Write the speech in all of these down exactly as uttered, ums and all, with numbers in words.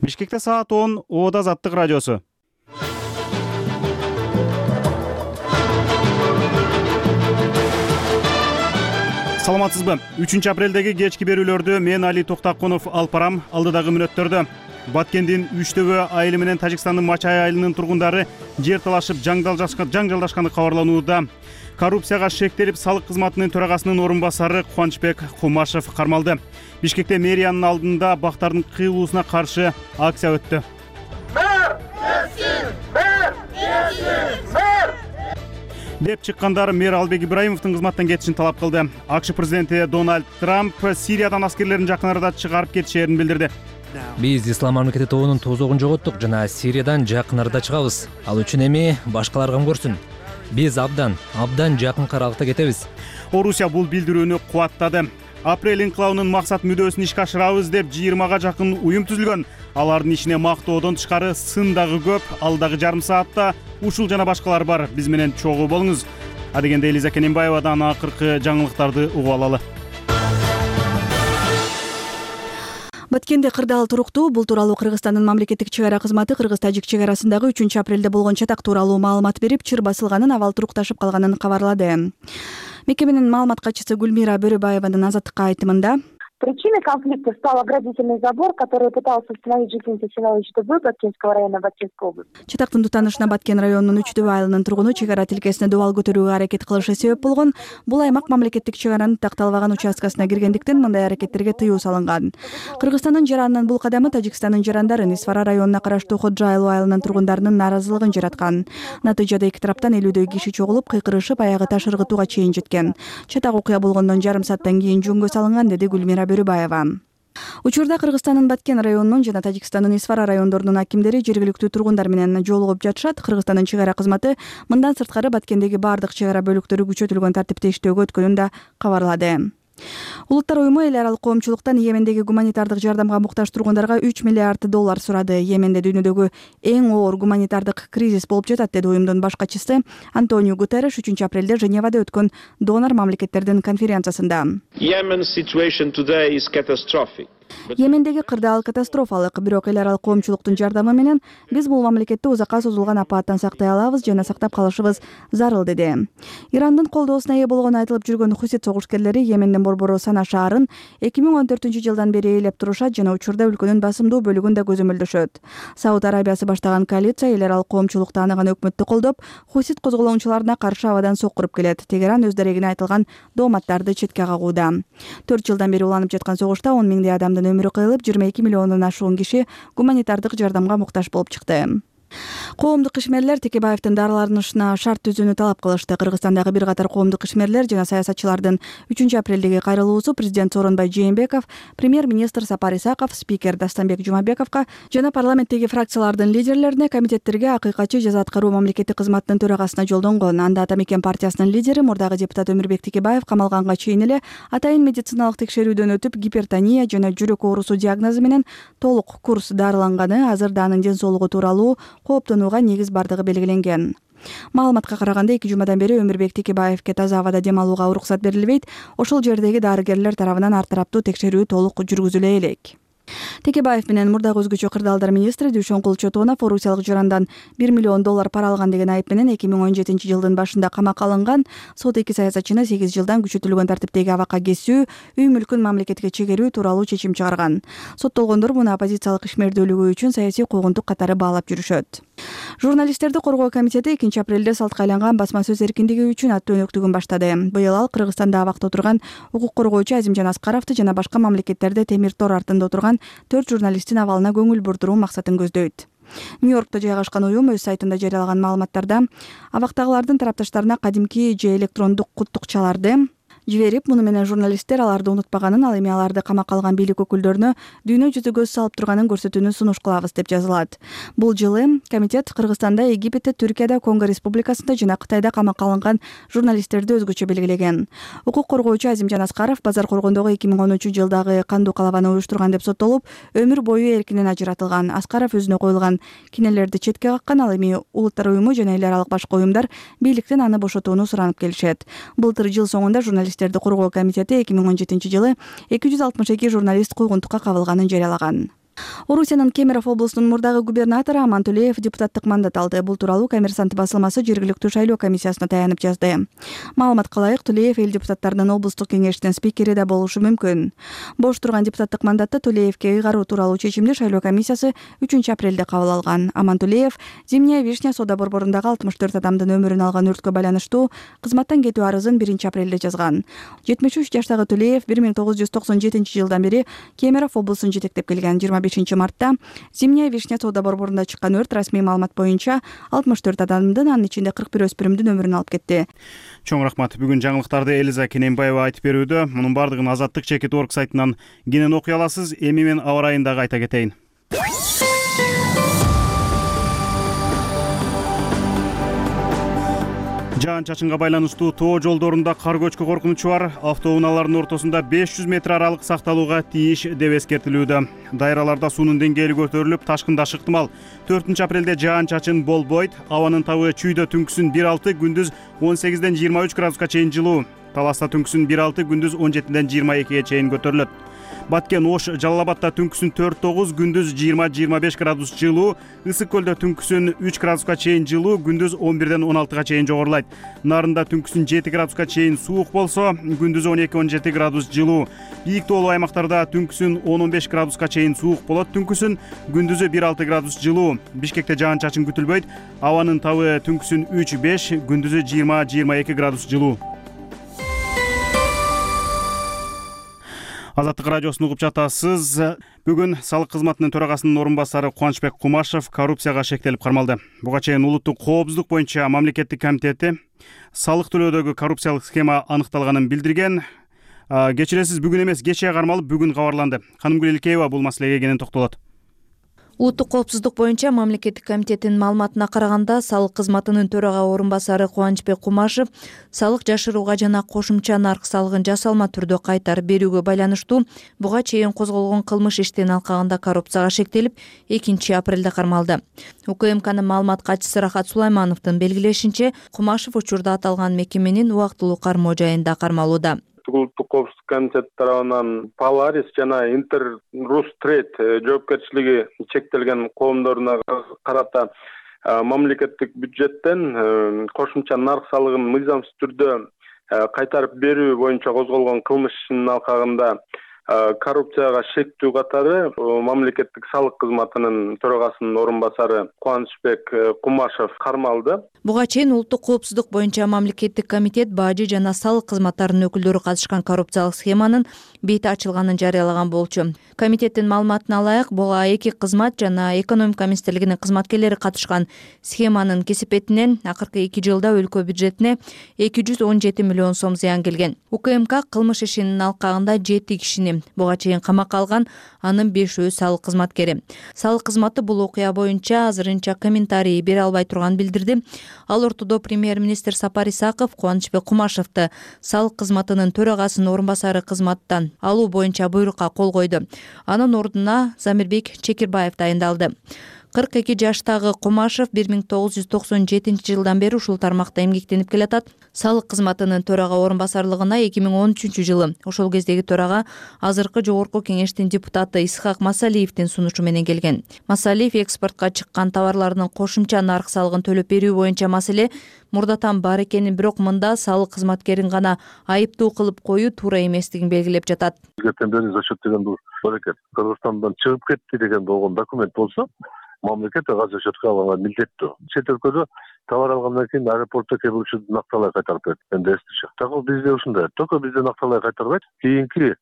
Бишкекте саат он, Ода Азаттык радиосу. Саламатсызбы? үчүнчү апрелдеги кечки берүүлөрдү мен Али Токтакунов алып барам. Алдыдагы мүнөттөрдө Баткендин Үчтөбө айылы менен Тажикстандын Мачай айылынын тургундары жер талашып жаңжалдашканы кабарланууда. Коррупцияга шектелип, салык кызматынын төрагасынын орун басары Кубанычбек Кумашев кармалды. Бишкекте мэриянын алдында бактардын кыйылуусуна каршы акция өттү. Мэр! Кетсин! Мэр! Кетсин! Мэр! деп чыккандар мэр Албек Ибраимовдун кызматтан кетишин талап кылды. АКШ президенти Дональд Трамп Сириядан аскерлерин жакын арада чыгарып кетишерин билдирди. Биз Ислам мамлекети тобунун тозогун жоготтук жана Сириядан жакын арада чыгабыз. Ал үчүн эми башкалар кам көрсүн. Биз абдан, абдан жакын аралыкта кетебиз. Орусия бул билдирүүнү кубаттады. Апрель инкылабынын максат мүдөөсүн ишке ашырабыз деп жыйырмага жакын уюм түзүлгөн. Алардын ичине мактоодон тышкары сын дагы көп. Алдагы жарым саатта ушул жана башкалар бар. Биз менен чогуу болуңуз. Адегенде Элиза Кененбаевадан акыркы жаңылыктарды угуп алалы. Баткенде кырдаал туруктуу. Бул тууралуу Кыргызстандын мамлекеттик чек ара кызматы кыргыз-тажик чек арасындагы үчүнчү апрелде болгон чатак тууралуу маалымат берип, чыр басылганын, абал турукташып калганын кабарлады. Мекеменин маалымат катчысы Гүлмира Бөрөбаеванын Азаттыкка айтымында: Причиной конфликта стал оградительный забор, который пытался установить жительница села Үчтөбө Баткенского района Баткенской области. Чатактын тутанышына Баткен районунун Үчтөбө айылынын тургуну чек ара тилкесине дубал көтөрүүгө аракет кылышы себеп болгон. Бул аймак мамлекеттик чек аранын такталбаган участкасына киргендиктен мындай аракеттерге тыюу салынган. Кыргызстандын жаранынын бул кадамы Тажикстандын жарандарын Исфара районуна караштуу Ходжа айыл айылынын тургундарынын нааразылыгын жараткан. Натыйжада эки тараптан элүүдөй киши чогулуп, кыйкырышып, аягы таш ыргытууга чейин жеткен. Чатак окуя болгондон жарым сааттан кийин жөнгө салынган, деди Гүлмира Бөрөбаева. Учурда Кыргызстандын Баткен районунун жана Тажикстандын Исфара райондорунун акимдери жергиликтүү тургундар менен жолугуп жатышат. Кыргызстандын чек ара кызматы мындан сырткары Баткендеги бардык чек ара бөлүктөрү күчөтүлгөн тартипте иштөөгө өткөнүн да кабарлады. Улуттар уюму эл аралык коомчулуктан Йемендеги гуманитардык жардамга муктаж тургундарга үч миллиард доллар сурады. Йеменде дүйнөдөгү эң оор гуманитардык кризис болуп жатат, деди уюмдун баш катчысы Антонио Гутерреш үчүнчү апрелде Женевада өткөн донор мамлекеттердин конференциясында. Йемендеги кырдаал катастрофалык, бирок эл аралык коомчулуктун жардамы менен биз бул мамлекетти узакка созулган апааттан сактай алабыз жана сактап калышыбыз зарыл, деди. Ирандын колдоосуна ээ болгону айтылып жүргөн Хусит согушкерлери Йемендин борбору Сана шаарын эки миң он төртүнчү жылдан бери ээлеп турушат жана учурда өлкөнүн басымдуу бөлүгүн да көзөмөлдөшөт. Сауд Арабиясы баштаган коалиция эл аралык коомчулук тааныган өкмөттү колдоп, Хусит козголоңчуларына каршы абадан соккуруп келет. Тегеран өз дарегине айтылган дооматтарды четке кагууда. төрт жылдан бери уланып жаткан согушта он миңдей адамдын өмүрү кыйылып, жыйырма эки миллиондон ашуун киши гуманитардык жардамга муктаж болуп чыкты. Коомдук ишмерлер Текебаевдин дарыланышына шарт түзүүнү талап кылышты. Кыргызстандагы бир катар коомдук ишмерлер жана саясатчылардын үчүнчү апрелдеги кайрылуусу президент Сооронбай Жээнбеков, премьер-министр Сапар Исаков, спикер Дастанбек Жумабековго жана парламенттеги фракциялардын лидерлерине, комитеттерге, акыйкатчы жаза аткаруу мамлекеттик кызматынын төрагасына жолдонгон. Анда Ата Мекен партиясынын лидери, мурдагы депутат Өмүрбек Текебаев камалганга чейин эле атайын медициналык текшерүүдөн өтүп, гипертония жана жүрөк оорусу диагнозу менен толук курс дарыланганы, азырда анын ден соолугу тууралуу кооптонууга негиз бардыгы белгиленген. Маалыматка караганда эки жумадан бери Өмүрбек Текебаевге таза абада дем алууга уруксат берилбейт. Ошол жердеги дарыгерлер тарабынан ар тараптуу текшерүү толук жүргүзүлө элек. Текебаев менен мурдагы өзгөчө кырдаалдар министри Дүйшөнкул Чотонов орусиялык жарандан бир миллион доллар пара алган деген айып менен эки миң он жетинчи жылдын башында камакка алынган. Сот эки саясатчыны сегиз жылдан күчөтүлгөн тартиптеги абакка кесүү, үй мүлкүн мамлекетке чегерүү тууралуу чечим чыгарган. Соттолгондор муну оппозициялык ишмердүүлүгү үчүн саясий куугунтук катары баалап жүрүшөт. Журналисттерди коргоо комитети экинчи апрелде салтка айланган басма сөз эркиндиги үчүн аттуу өнөктүгүн баштады. Быйыл ал Кыргызстанда абакта отурган укук коргоочу Азимжан Аскаровду жана башка мамлекеттерде темир тор артында отурган төрт журналисттин абалына көңүл бурдуруу максатын көздөйт. Нью-Йоркто жайгашкан уюм өз сайтында жарыялаган маалыматтарда абактагылардын тарапташтарына кадимки же электрондук куттукчаларды жиберип, муну менен журналисттер аларды унутпаганын, ал эми аларды камакка алган бийлик өкүлдөрүнө дүйнө жүзү көз салып турганын көрсөтүүнү сунуш кылабыз деп жазылат. Бул жылы комитет Кыргызстанда, Египетте, Түркияда, Конго Республикасында жана Кытайда камакка алынган журналисттерди өзгөчө белгилеген. Укук коргоочу Азимжан Аскаров базар коргондогу эки миң онунчу жылдагы кандуу калабаны уюштурган деп соттолуп, өмүр бою эркинен ажыратылган. Аскаров өзүнө коюлган кинелерди четке каккан, ал эми улуттар уюму жана эл аралык башка уюмдар бийликтен аны бошотууну суранып келишет. Былтыр жыл соңунда журналист журналисттерди коргоо комитети эки миң он жетинчи жылы эки жүз алтымыш эки журналист куугунтукка кабылганын жарыялаган. Орусиянын Кемерово облусунун мурдагы губернатору Аман Тулеев депутаттык мандат алды. Бул тууралуу Коммерсант басылмасы жергиликтүү шайлоо комиссиясына таянып жазды. Маалыматка ылайык, Тулеев эл депутаттарынын облустук кеңешинин спикери да болушу мүмкүн. Бош турган депутаттык мандатты Тулеевке ыйгаруу тууралуу чечимди шайлоо комиссиясы үчүнчү апрелде кабыл алган. Аман Тулеев Зимняя вишня соода борборундагы алтымыш төрт адамдын өмүрүн алган өрткө байланыштуу кызматтан кетүү арызын биринчи апрелде жазган. жетимиш үч жаштагы Тулеев бир миң тогуз жүз токсон жетинчи жылдан бери Кемерово облусун жетектеп келген. жыйырма бешинчи мартта Зимняя вишня соода борборунда чыккан өрт расмий маалымат боюнча алтымыш төрт адамдын, анын ичинде кырк бир өспүрүмдүн өмүрүн алып кетти. Чоң рахмат. Бүгүн жаңылыктарды Элиза Кененбаева айтып берүүдө. Мунун бардыгын Азаттык чекит точка орг сайтынан кенен окуй аласыз. Эми мен аба ырайын дагы айта кетейин. Жаан чачынга байланыштуу тоо жолдорунда кар көчкү коркунучу бар. Автоунаалардын ортосунда беш жүз метр аралык сакталууга тийиш деп эскертилүүдө. Дайраларда суунун деңгээли көтөрүлүп, ташкындаш ыктымал. төртүнчү апрелде жаан чачын болбойт. Абанын табы чүйдө түнкүсүн бир алты, күндүз он сегизден жыйырма үч градуска чейин жылуу. Таласта түнкүсүн бир алты, күндүз он жетиден жыйырма экиге чейин көтөрүлөт. Баткен, Ош, Жалал Абадта түнкүсүн төрт тогуз, күндүз жыйырма жыйырма беш градус жылуу. Ысык көлдө түнкүсүн үч градуска чейин жылуу, күндүз он бирден он алтыга чейин жогорулайт. Нарында түнкүсүн жети градуска чейин суук болсо, күндүз он эки он жети градус жылуу. Бийик тоолуу аймактарда түнкүсүн он он беш градуска чейин суук болот, түнкүсүн күндүзү бир алты градус жылуу. Бишкекте жаан чачын күтүлбөйт. Абанын табы түнкүсүн үч беш, күндүзү жыйырма жыйырма эки градус жылуу. Азаттык радиосун угуп жатасыз. Бүгүн салык кызматынын төрагасынын орун басары Кубанычбек Кумашев коррупцияга шектелип кармалды. Буга чейин улуттук коопсуздук боюнча мамлекеттик комитети салык төлөөдөгү коррупциялык схема аныкталганын билдирген. Кечиресиз, бүгүн эмес, кечээ кармалып, бүгүн кабарланды. Ханымгүл Илкеева бул маселеге кенен токтолот. Улуттук коопсуздук боюнча мамлекеттик комитеттин маалыматына караганда, салык кызматынын төрага орун басары Кубанычбек Кумашев салык жашырууга жана кошумча нарк салыгын жасалма түрдө кайтарып берүүгө байланыштуу буга чейин козголгон кылмыш иштин алкагында коррупцияга шектелип, экинчи апрелде кармалды. УКМКнын маалымат катчысы Рахат Сулаймановдун белгилешинче, Кумашев учурда аталган мекеменин убактылуу кармоо жайында кармалууда. Улуттук коопсуздук комитети тарабынан Polaris жана Интер-Рустрейд жоопкерчилиги чектелген коомдоруна карата мамлекеттик бюджеттен кошумча нарк салыгын мыйзамсыз түрдө кайтарып берүү боюнча козголгон кылмыш ишинин алкагында коррупцияга шектүү катары мамлекеттик салык кызматынын төрагасынын орун басары Кубанычбек Кумашев кармалды. Буга чейин улуттук коопсуздук боюнча мамлекеттик комитет бажы жана салык кызматтарынын өкүлдөрү катышкан коррупциялык схеманын бети ачылганын жарыялаган болчу. Комитеттин маалыматына ылайык, буга эки кызмат жана экономика министрлигинин кызматкерлери катышкан. Схеманын кесепетинен акыркы эки жылда өлкө бюджетине эки жүз он жети миллион сом зыян келген. УКМК кылмыш ишинин алкагында жети кишини буга чейин камакка алган, анын бешөө салык кызматкери. Салык кызматы бул окуя боюнча азырынча комментарий бере албай турганын билдирди. Ал ортодо премьер-министр Сапар Исаков Кубанычбек Кумашевди салык кызматынын төрагасынын орун басары кызматтан алуу боюнча буйрукка кол койду. Анын ордуна Замирбек Чекирбаев дайындалды. кырк эки жаштагы Кумашев бир миң тогуз жүз токсон жетинчи жылдан бери ушул тармакта эмгектенип келатат. Салык кызматынын төрага орун басарлыгына эки миң он үчүнчү жылы ошол кездеги төрага азыркы жогорку кеңештин депутаты Исхак Масалиевдин сунушу менен келген. Масалиев экспортко чыккан товарлардын кошумча нарк салыгын төлөп берүү боюнча маселе мурдатан бар экенин, бирок мында салык кызматкерин гана айыптуу кылып коюу туура эместигин белгилеп жатат. За счет деген бул аракет Кыргызстандан чыгып кетти деген болгон документ болсо, мамлекет ага за счетко алганга милдеттүү. Чет өлкөдө товар алгандан кийин аэропортто келүүчү накталай кайтарып берет. Энди эстичи. Так бизде ушундай. Только бизде накталай кайтарбайт. Кийинки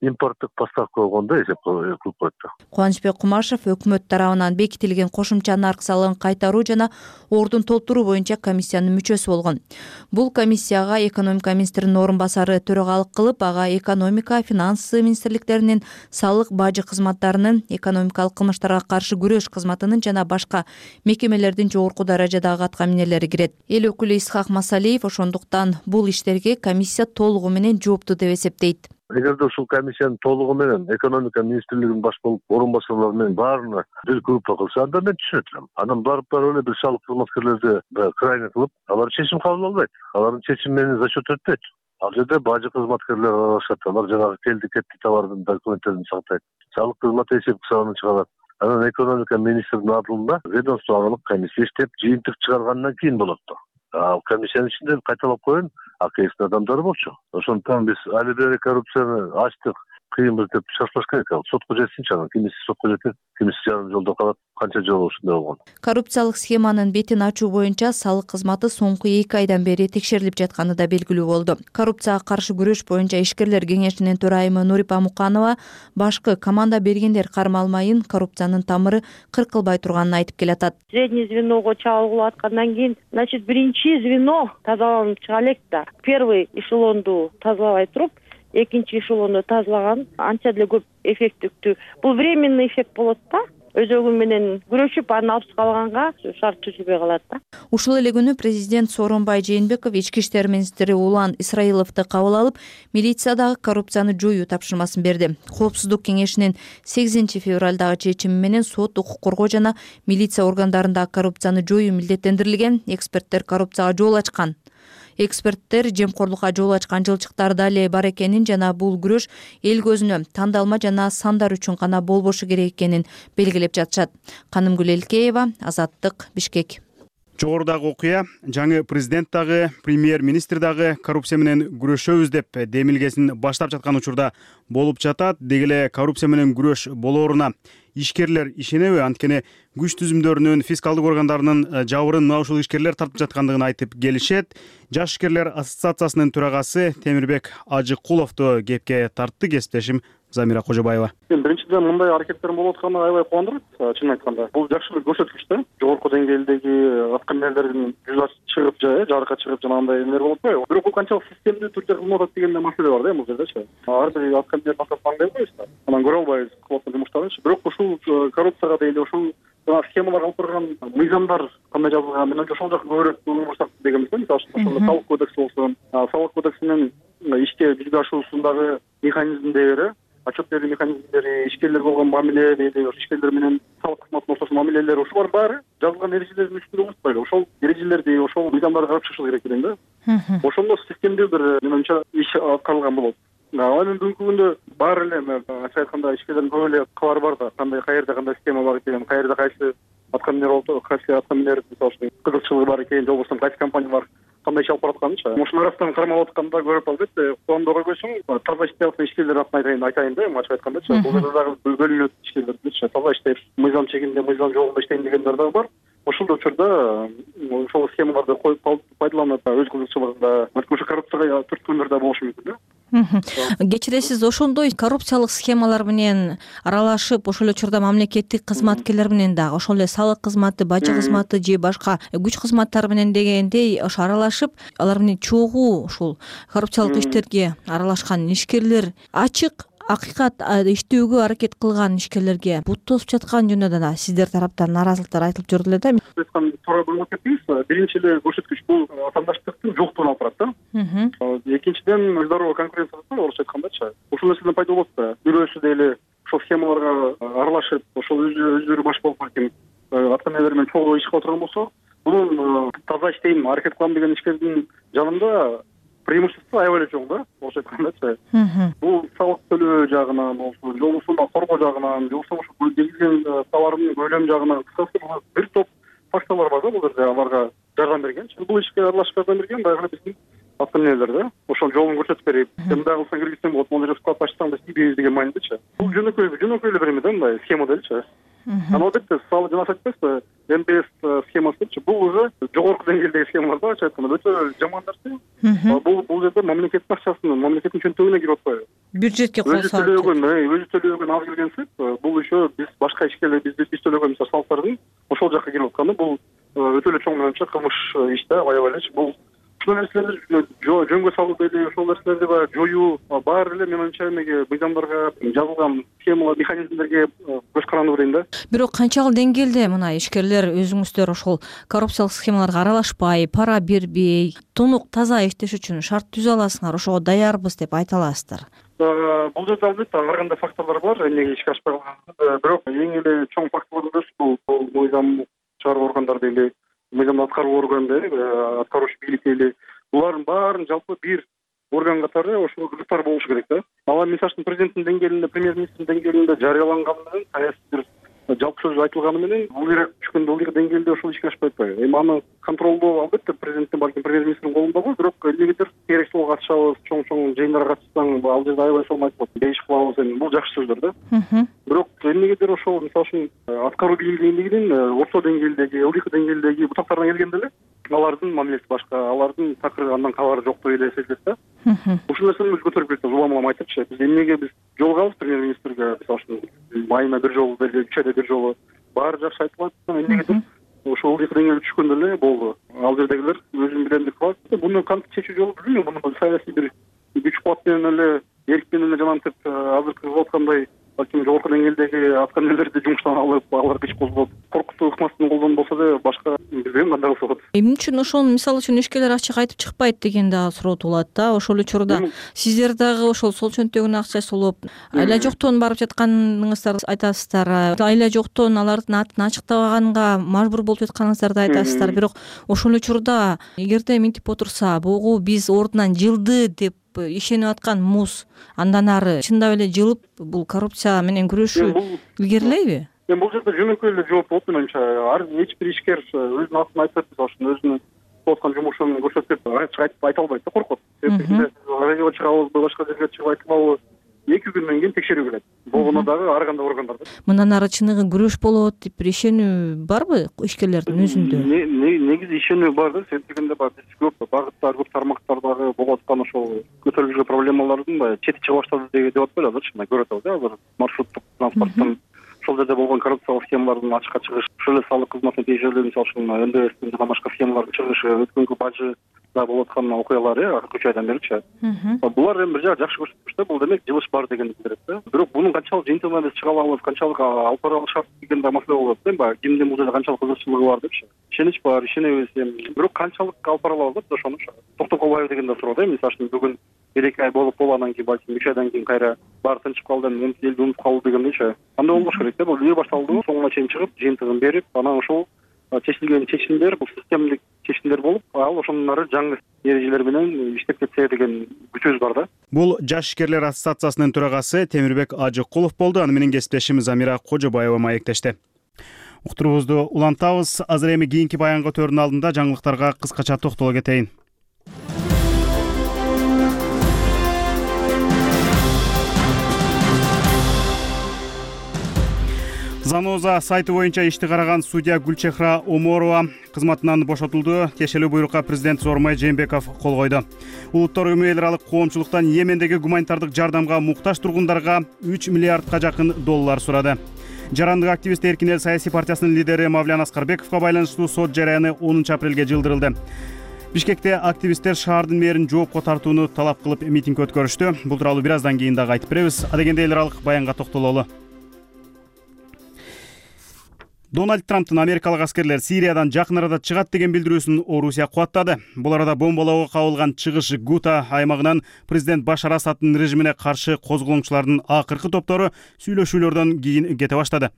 импорттук поставка болгондо эсеп кылып коет. Кубанычбек Кумашев өкмөт тарабынан бекитилген кошумча нарк салыгын кайтаруу жана ордун толтуруу боюнча комиссиянын мүчөсү болгон. Бул комиссияга экономика министринин орун басары төрагалык кылып, ага экономика, финансы министрликтеринин, салык бажы кызматтарынын, экономикалык кылмыштарга каршы күрөш кызматынын жана башка мекемелердин жогорку даражадагы аткаминерлери кирет. Эл өкүлү Исхак Масалиев ошондуктан бул иштерге комиссия толугу менен жооптуу деп эсептейт. Эгерде ушул комиссиянын толугу менен экономика министрлигинин баш болуп орун басарлары менен баарына бир группа кылса, анда мен түшүнөт элем. Анан барып барып эле бир салык кызматкерлерди крайне кылып, алар чечим кабыл албайт. Алардын чечими менен за счет өтпөйт. Ал жерде бажы кызматкерлер аралашат. Алар жанагы келди кетти товардын документтерин сактайт. Салык кызматы эсеп кысабын чыгарат. Анан экономика министринин алдында ведомстволук комиссия иштеп жыйынтык чыгаргандан кийин болот да. Ал комиссиянын ичинде кайталап коеюн акэстин адамдары болчу. Ошондуктан биз али бери коррупцияны ачтык, кыйынбыз деп шашпаш керек. Ал сотко жетсинчи, анан кимиси сотко жетет, кимиси жарым жолдо калат. Канча жолу ушундай болгон. Коррупциялык схеманын бетин ачуу боюнча салык кызматы соңку эки айдан бери текшерилип жатканы да белгилүү болду. Коррупцияга каршы күрөш боюнча ишкерлер кеңешинин төрайымы Нурипа Муканова башкы команда бергендер кармалмайын коррупциянын тамыры кыркылбай турганын айтып келатат. Средний звеного чалгылып аткандан кийин, значит, биринчи звено тазаланып чыга элек да. Первый эшелонду тазалабай туруп, экинчи эшелонду тазалаган анча деле көп эффектиктүү. Бул временный эффект болот да. Өзөгү менен күрөшүп, анын алып калганга шарт түзүлбөй калат да. Ушул эле күнү президент Сооронбай Жээнбеков ички иштер министри Улан Исраиловду кабыл алып, милициядагы коррупцияны жоюу тапшырмасын берди. Коопсуздук кеңешинин сегизинчи февралдагы чечими менен сот, укук коргоо жана милиция органдарындагы коррупцияны жоюу милдеттендирилген. Эксперттер коррупцияга жол ачкан. Эксперттер жемкорлукка жол ачкан жылчыктар да эле бар экенин жана бул күрөш эл көзүнө тандалма жана сандар үчүн гана болбошу керек экенин белгилеп жатышат. Канымгүл Элкеева, Азаттык, Бишкек. Жогорудагы окуя жаңы президент дагы, премьер-министр дагы коррупция менен күрөшөбүз деп демилгесин баштап жаткан учурда болуп жатат. Деги эле коррупция менен күрөш болооруна ишкерлер ишенеби? Анткени күч түзүмдөрүнүн, фискалдык органдарынын жабырын мына ушул ишкерлер тартып жаткандыгын айтып келишет. Жаш ишкерлер ассоциациясынын төрагасы Темирбек Ажыкуловду кепке тартты. Кесиптешим Замира Кожобаева. Биринчиден, мындай аракеттердин болуп атканы аябай кубандырат, чынын айтканда. Бул жакшы бир көрсөткүч да. Жогорку деңгээлдеги аткаминерлердин жүзү чыгып, жарыкка чыгып жанагындай эмелер болуп атпайбы? Бирок бул канчалык системдүү түрдө кызмат атат деген маселе бар да бул жердечи. Ар бир аткаминер насап аңдай койбуз да. Анан көрө албайбыз кылып жумуштарынчы. Бирок ушул коррупцияга дейли ушул схемалар алып барган мыйзамдар кандай жазылган, мен ошол жака көбүрөөк көңүл бурсак дегенбиз да. Мисалы үчүн салык кодекси болсун, салык кодексинин ишке жүзүгө ашуусундагы механизмдери, отчет берүү механизмдери, ишкерлерге болгон мамиле, дейли ишкерлер менен салык кызматынын ортосунда мамилелер, ушулар баары жазылган эрежелердин үстүндө болбойбу? Ошол эрежелерди, ошол мыйзамдарды карап чыгыш керек элем да. Ошондо системдүү бир менимче иш аткарылган болот. Анан бүгүнкү күндө баары эле ачык айтканда ишкерлердин көп эле кабары бар да. Кандай каерде кандай схема бар экен, каерде кайсы аткаминер болсо, кайсы аткаминер мисалы үчүн кызыкчылыгы бар экен, же болбосо кайсы компаниялар кандай иш алып баратканычы. Ошонун арасынан кармалып атканда көрүп албетте, кубанда койсоң, таза иштеп аткан ишкерлер атын айтайын, айтайын да, ачык айткандачы. Бул жерде дагы бөлүнөт ишкерлерчи. Таза иштеп, мыйзам чегинде, мыйзам жолунда иштейм дегендер дагы бар. Ошол учурда ошол схемаларды коюп пайдаланып, өз кызыкчылыгында ошо коррупцияга түрткөндөр да болушу мүмкүн да. Кечиресиз, ошондой коррупциялык схемалар менен аралашып, ошол эле учурда мамлекеттик кызматкерлер менен дагы, ошол эле салык кызматы, бажы кызматы же башка күч кызматтары менен дегендей ошо аралашып, алар менен чогуу ушул коррупциялык иштерге аралашкан ишкерлер ачык акыйкат иштөөгө аракет кылган ишкерлерге бут тосуп жаткан жөнүндө да сиздер тараптан нааразылыктар айтылып жүрдү эле да. Айткан туура болуп кетпейбиз. Биринчи эле көрсөткүч бул атаандаштыктын жоктугун алып барат да. Экинчиден, здоровый конкуренция бар, орусча айткандачы. Ушул нерседен пайда болот да. Бирөөсү дейли ошол схемаларга аралашып, ошол өздөрү баш болуп баркен аткаминерлер менен чогуу иш кылып турган болсо, бунун таза иштейм, аракет кылам деген ишкердин жанында преимущество аябай эле чоң да, орусча айткандачы. Бул салык төлөө жагынан болсун, же болбосо коргоо жагынан, же болбосо ошо келген товардын көлөмү жагынан, кыскасы бир топ факторлор бар да бул жерде аларга жардам бергенчи. Бул ишке аралашып жардам берген дагы биздин аткаминерлер да. Ошол жолун көрсөтүп берип, мындай кылсаң киргизсең болот, могу жерде склад ачсаң да тийбейбиз деген маанидечи. Бул жөнөкөй, жөнөкөй эле бир эме да, мындай схема деличи. Анан албетте, салы жана айтпайсызбы, эн пэ эс схемасычы, бул уже жогорку деңгээлдеги схемалар да, ачык айтканда өтө жаман нерсе. Бул бул жерде мамлекеттин акчасынын, мамлекеттин чөнтөгүнө кирип атпайбы? Бюджетке кол салып. Өзү төлөгөн, өзү төлөгөн аз келген сырт, бул еще биз башка ишкерлер, биз биз төлөгөн мисалы салыктардын ошол жакка кирип атканы, бул өтө эле чоң менимче кылмыш иш да, аябай элечи. Бул ушул нерселерди жөнгө салуу дейли, ошол нерселерди баягы жоюу баары эле менимче эмеге, мыйзамдарга жазылган схемалар, механизмдерге көз каранды дейм да. Бирок канчалык деңгээлде мына ишкерлер өзүңүздөр ошол коррупциялык схемаларга аралашпай, пара бербей, тунук таза иштеш үчүн шарт түзө аласыңар, ошого даярбыз деп айта аласыздар? Бул жерде албетте ар кандай факторлор бар, эмнеге ишке ашпай калган. Бирок эң эле чоң факторлордун бирөөсү бул мыйзам чыгаруу органдар дейли, мыйзамды аткаруу орган дейли, аткаруучу бийлик дейли. Булардын баарын жалпы бир орган катары ошол кызыктар болушу керек да. Ал мисалы үчүн президенттин деңгээлинде, премьер-министрдин деңгээлинде жарыяланганы менен саясий бир жалпы сөз айтылганы менен бул Ирак түшкөн ылдыйкы деңгээлде ошол ишке ашпай атпайбы. Эми аны контролдоо албетте президенттин балким премьер-министрдин колунда го, бирок эмнегедир керек жолго катышабыз, чоң-чоң жыйындарга катышсаң ал жерде аябай сонун айтып коет. Бейиш кылабыз, эми бул жакшы сөздөр да. Бирок эмнегедир ошол мисалы үчүн аткаруу бийлигинин орто деңгээлдеги, ылдыйкы деңгээлдеги бутактарына келгенде эле алардын мамилеси башка, алардын такыр андан кабары жоктугу эле сезилет да. Ушул нерсени биз көтөрүп кетебиз, улам улам айтыпчы. Биз эмнеге биз жолугабыз премьер-министрге, мисалы үчүн майына бир жолу, үч айда бир жолу баары жакшы айтылат. Эмнегедир ошол ылдыйкы деңгээлде түшкөндө эле болду. Ал жердегилер өзүн билем деп калат. Буну кантип чечүү жолу билбейм. Муну саясий бир күч кубат менен эле, эрк менен эле жанагынтип азыркы кылып аткандай балким жогорку деңгээлдеги аткаминерлерди жумуштан алып, алар күч козгоп, коркутуу ыкмасын колдонуп болсо да башка билбейм кандай кылса болот. Эмне үчүн ошону мисалы үчүн ишкерлер ачык айтып чыкпайт деген дагы суроо туулат да. Ошол эле учурда сиздер дагы ошол сол чөнтөгүнө акча сулуп, айла жоктон барып жатканыңызды айтасыздар. Айла жоктон алардын атын ачыктабаганга мажбур болуп жатканыңыздарды айтасыздар. Бирок ошол эле учурда эгерде мынтип отурса, бугу биз ордунан жылды деп ишенип аткан муз андан ары чындап эле жылып, бул коррупция менен күрөшүү илгерилейби? Эми бул жерде жөнөкөй эле жооп болот менимче. Ар эч бир ишкер өзүнүн атын айтып, мисалы үчүн өзүнүн кылып аткан жумушун көрсөтүп, ачык айтып айта албайт да, коркот. Себеби радиого чыгабызбы, башка жерге чыгып айтылабы, эки күндөн кийин текшерүү келет. Болгону дагы ар кандай органдар да. Мындан ары чыныгы күрөш болот деп бир ишенүү барбы ишкерлердин өзүндө? Негизи ишенүү бар да. Сен дегенде бар, биз көп багыттар, көп тармактардагы болуп аткан ошол көтөрүлүп жүргөн проблемалардын баягы чети чыга баштады деп атпайбы азырчы, мына көрүп атабыз да, азыр маршруттук транспорттун ошол жерде болгон коррупциялык схемалардын ачыкка чыгышы, ошол эле салык кызматына тийиштүү, мисалы үчүн эн дэ эстин жана башка схемалардын чыгышы, өткөнгү бажыда болуп аткан окуялар э үч айдан беричи. Булар эми бир жагы жакшы көрсөткүч да, бул демек жылыш бар дегенди билдирет да. Бирок мунун канчалык жыйынтыгына биз чыга алабыз, канчалык алып бара алышат деген да маселе болот да. Баягы кимдин бул жерде канчалык кызыкчылыгы бар депчи. Ишенич бар, ишенебиз эми. Бирок канчалык алып бара алабыз да ошону токтоп калбайбы деген да суроо да. Мисалы үчүн бүгүн бир эки ай болуп болуп анан кийин балким үч айдан кийин кайра баары тынчып калды, эми элди унутуп калды дегендейчи. Андай болбош керек да. Бул үйө башталды, соңуна чейин чыгып, жыйынтыгын берип, анан ошол чечилген чечимдер, бул системдик чечимдер болуп, ал ошондон ары жаңы эрежелер менен иштеп кетсе деген күчүбүз бар да. Бул жаш ишкерлер ассоциациясынын төрагасы Темирбек Ажыкулов болду. Аны менен кесиптешimiz Амира Кожобаева маектешти. Уктуруубузду улантабыз. Азыр эми кийинки баянга өтөрдүн алдында жаңылыктарга кыскача токтоло кетейин. Заноза сайты боюнча ишти караган судья Гүлчехра Оморова кызматынан бошотулду. Тиешелүү буйрукка президент Зормай Жээнбеков кол койду. Улуттар Уюму эл аралык коомчулуктан Йемендеги гуманитардык жардамга муктаж тургундарга үч миллиардка жакын доллар сурады. Жарандык активист Эркин эл саясий партиясынын лидери Мавлян Аскарбековго байланыштуу сот жараяны онунчу апрелге жылдырылды. Бишкекте активисттер шаардын мэрин жоопко тартууну талап кылып митинг өткөрүштү. Бул тууралуу бир аздан кийин дагы айтып беребиз. Адегенде эл аралык баянга токтололу. Дональд Трамптын америкалык аскерлер Сириядан жакын арада чыгат деген билдирүүсүн Орусия кубаттады. Бул арада бомбалоого кабылган чыгыш Гута аймагынан президент Башар Асаддын режимине каршы козголоңчулардын акыркы топтору сүйлөшүүлөрдөн кийин кете баштады.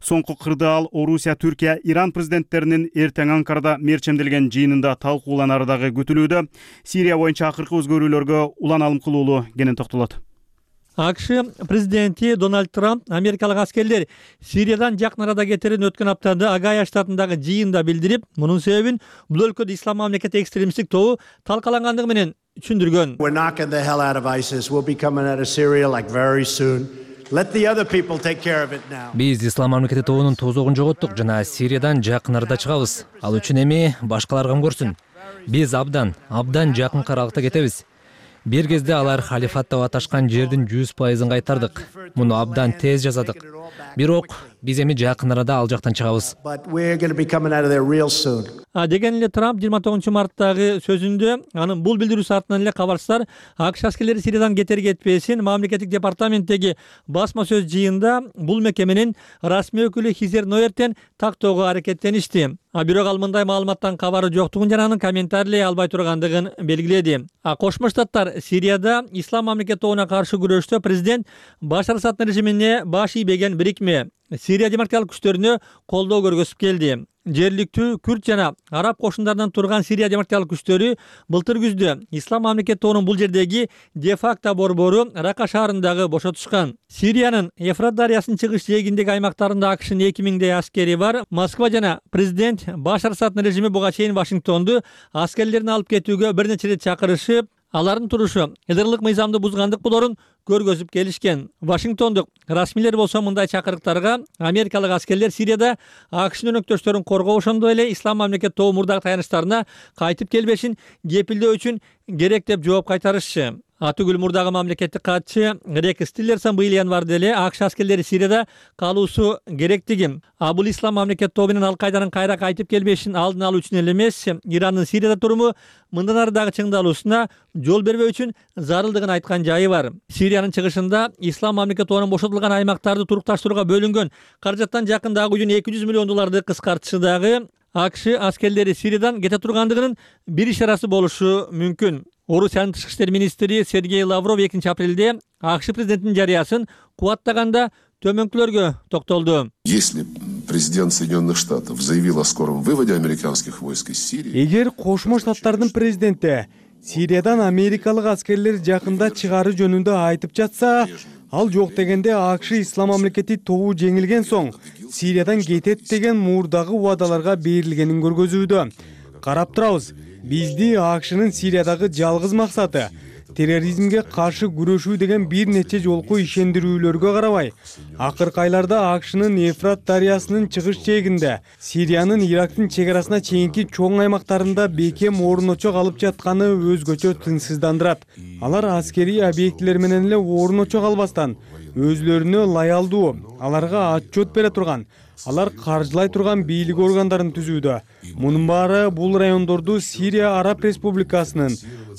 Соңку кырдаал Орусия, Түркия, Иран президенттеринин эртең Анкарада мерчемделген жыйынында талкууланары дагы күтүлүүдө. Сирия боюнча акыркы өзгөрүүлөргө улан алым кылуулуу кенен токтолот. АКШ президенти Дональд Трамп америкалык аскерлер Сириядан жакын арада кетерин өткөн аптада Агая штатындагы жыйында билдирип, мунун себебин бул өлкөдө ислам мамлекети экстремисттик тобу талкалангандыгы менен түшүндүргөн. Биз ислам мамлекети тобунун тозогун жоготтук жана Сириядан жакын арада чыгабыз. Ал үчүн эми башкалар кам көрсүн. Биз абдан, абдан жакын каралыкта кетебиз. Бир кезде алар халифат деп аташкан жердин жүз пайызын кайтардык. Муну абдан тез жасадык. Бирок биз эми жакын арада ал жактан чыгабыз. А деген эле Трамп жыйырма тогузунчу марттагы сөзүндө анын бул билдирүүсү артынан эле кабарчылар АКШ аскерлери Сириядан кетер кетпесин мамлекеттик департаменттеги басма сөз жыйында бул мекеменин расмий өкүлү Хизер Ноертен тактоого аракеттеништи. А бирок ал мындай маалыматтан кабары жоктугун жана анын комментарийлей албай тургандыгын белгиледи. А Кошмо Штаттар Сирияда ислам мамлекети тобуна каршы күрөштө президент Башар Асаддын режимине баш ийбеген бирикме Сирия демократиялык күчтөрүнө колдоо көргөзүп келди. жергиликтүү күрд жана араб кошундарынан турган Сирия демократиялык күчтөрү былтыр күздө Ислам мамлекети тобунун бул жердеги де-факто борбору Рака шаарындагы бошотушкан. Сириянын Ефрат дарыясынын чыгыш жээгиндеги аймактарында АКШнын эки миңдей аскери бар. Москва жана президент Башар Асаддын режими буга чейин Вашингтонду аскерлерин алып кетүүгө бир нече рет чакырышып, алардын турушу элдерлык мыйзамды бузгандык болорун көргөзүп келишкен. Вашингтондук расмийлер болсо мындай чакырыктарга америкалык аскерлер Сирияда АКШнын өнөктөштөрүн коргоо, ошондой эле Ислам мамлекети тобу мурдагы таянычтарына кайтып келбешин кепилдөө үчүн керек деп жооп кайтарышчы. Атүгүл мурдагы мамлекеттик катчы Рекс Тиллерсон быйыл январда эле АКШ аскерлери Сирияда калуусу керектиги, а бул Ислам мамлекети тобу менен Ал-Кайданын кайра кайтып келбешин алдын алуу үчүн эле эмес, Ирандын Сирияда туруму мындан ары дагы чыңдалуусуна жол бербөө үчүн зарылдыгын айткан жайы бар. Сириянын чыгышында Ислам мамлекети тобунун бошотулган аймактарды турукташтырууга бөлүнгөн каражаттан жакындагы үчүн эки жүз миллион долларды кыскартышы дагы АКШ аскерлери Сириядан кете тургандыгынын бир ишарасы болушу мүмкүн. Орусиянын тышкы иштер министри Сергей Лавров экинчи апрелде АКШ президентинин жарыясын кубаттаганда төмөнкүлөргө токтолду. Если президент Соединенных Штатов заявил о скором выводе американских войск из Сирии, эгер Кошмо Штаттардын президенти Сириядан америкалык аскерлер жакында чыгаруу жөнүндө айтып жатса, ал жок дегенде АКШ Ислам мамлекети тобу жеңилген соң Сириядан кетет деген мурдагы убадаларга берилгенин көргөзүүдө. Карап турабыз. Бизди АКШнын Сириядагы жалгыз максаты терроризмге каршы күрөшүү деген бир нече жолку ишендирүүлөргө карабай, акыркы айларда АКШнын Ефрат дарыясынын чыгыш жээгинде Сириянын Ирактын чек арасына чейинки чоң аймактарында бекем орночок алып жатканы өзгөчө тынчсыздандырат. Алар аскерий объектилер менен эле орночок албастан өзүлөрүнө лаялдуу, аларга отчет бере турган, алар каржылай турган бийлик органдарын түзүүдө. Мунун баары бул райондорду Сирия Араб Республикасынын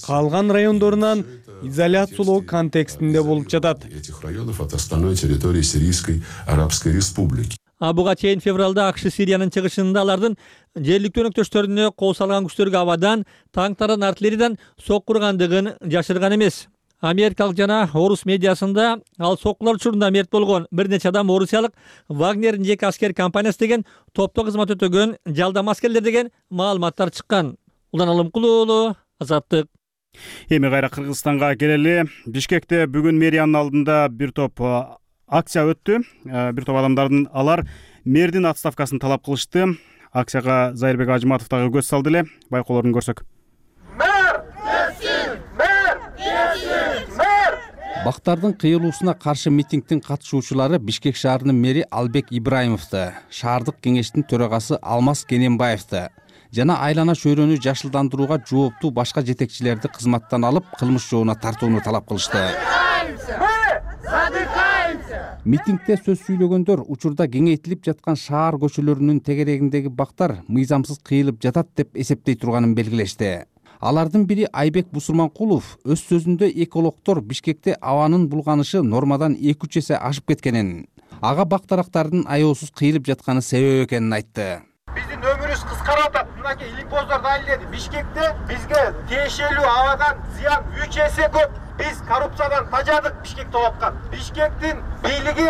калган райондорунан изоляциялоо контекстинде болуп жатат. этих районов от остальной территории Сирийской Арабской Республики. А буга чейин февралда АКШ Сириянын чыгышында алардын жергиликтүү өнөктөштөрүнө кол салган күчтөргө абадан, танктардан, артиллериядан сокку ургандыгын жашырган эмес. Америкалык жана орус медиасында ал соккулар учурунда мерт болгон бир нече адам орусиялык Вагнердин жеке аскер компаниясы деген топто кызмат өтөгөн жалдама аскерлер деген маалыматтар чыккан. Улан Алымкулуу уулу, Азаттык. Эми кайра Кыргызстанга келели. Бишкекте бүгүн мэриянын алдында бир топ акция өттү. Бир топ адамдардын алар мэрдин отставкасын талап кылышты. Акцияга Зайырбек Ажыматов дагы көз салды эле. Байкоолорун көрсөк. Мэр! Кетсин! Мэр! Кетсин! Мэр! Бактардын кыйылуусуна каршы митингдин катышуучулары Бишкек шаарынын мэри Албек Ибраимовду, шаардык кеңештин төрагасы Алмаз Кененбаевди жана айлана чөйрөнү жашылдандырууга жооптуу башка жетекчилерди кызматтан алып, кылмыш жообуна тартууну талап кылышты. Митингде сөз сүйлөгөндөр учурда кеңейтилип жаткан шаар көчөлөрүнүн тегерегиндеги бактар мыйзамсыз кыйылып жатат деп эсептей турганын белгилешти. Алардын бири Айбек Бусурманкулов өз сөзүндө экологдор Бишкекте абанын булганышы нормадан эки үч эсе ашып кеткенин, ага бак дарактардын аеосуз кыйылып жатканы себеп экенин айтты. Биздин өмүрүбүз кыскарып атат. Мынакей иликбоздор далилдеди. Бишкекте бизге тиешелүү абадан зыян үч эсе көп. Биз коррупциядан тажадык Бишкекте болуп аткан. Бишкектин бийлиги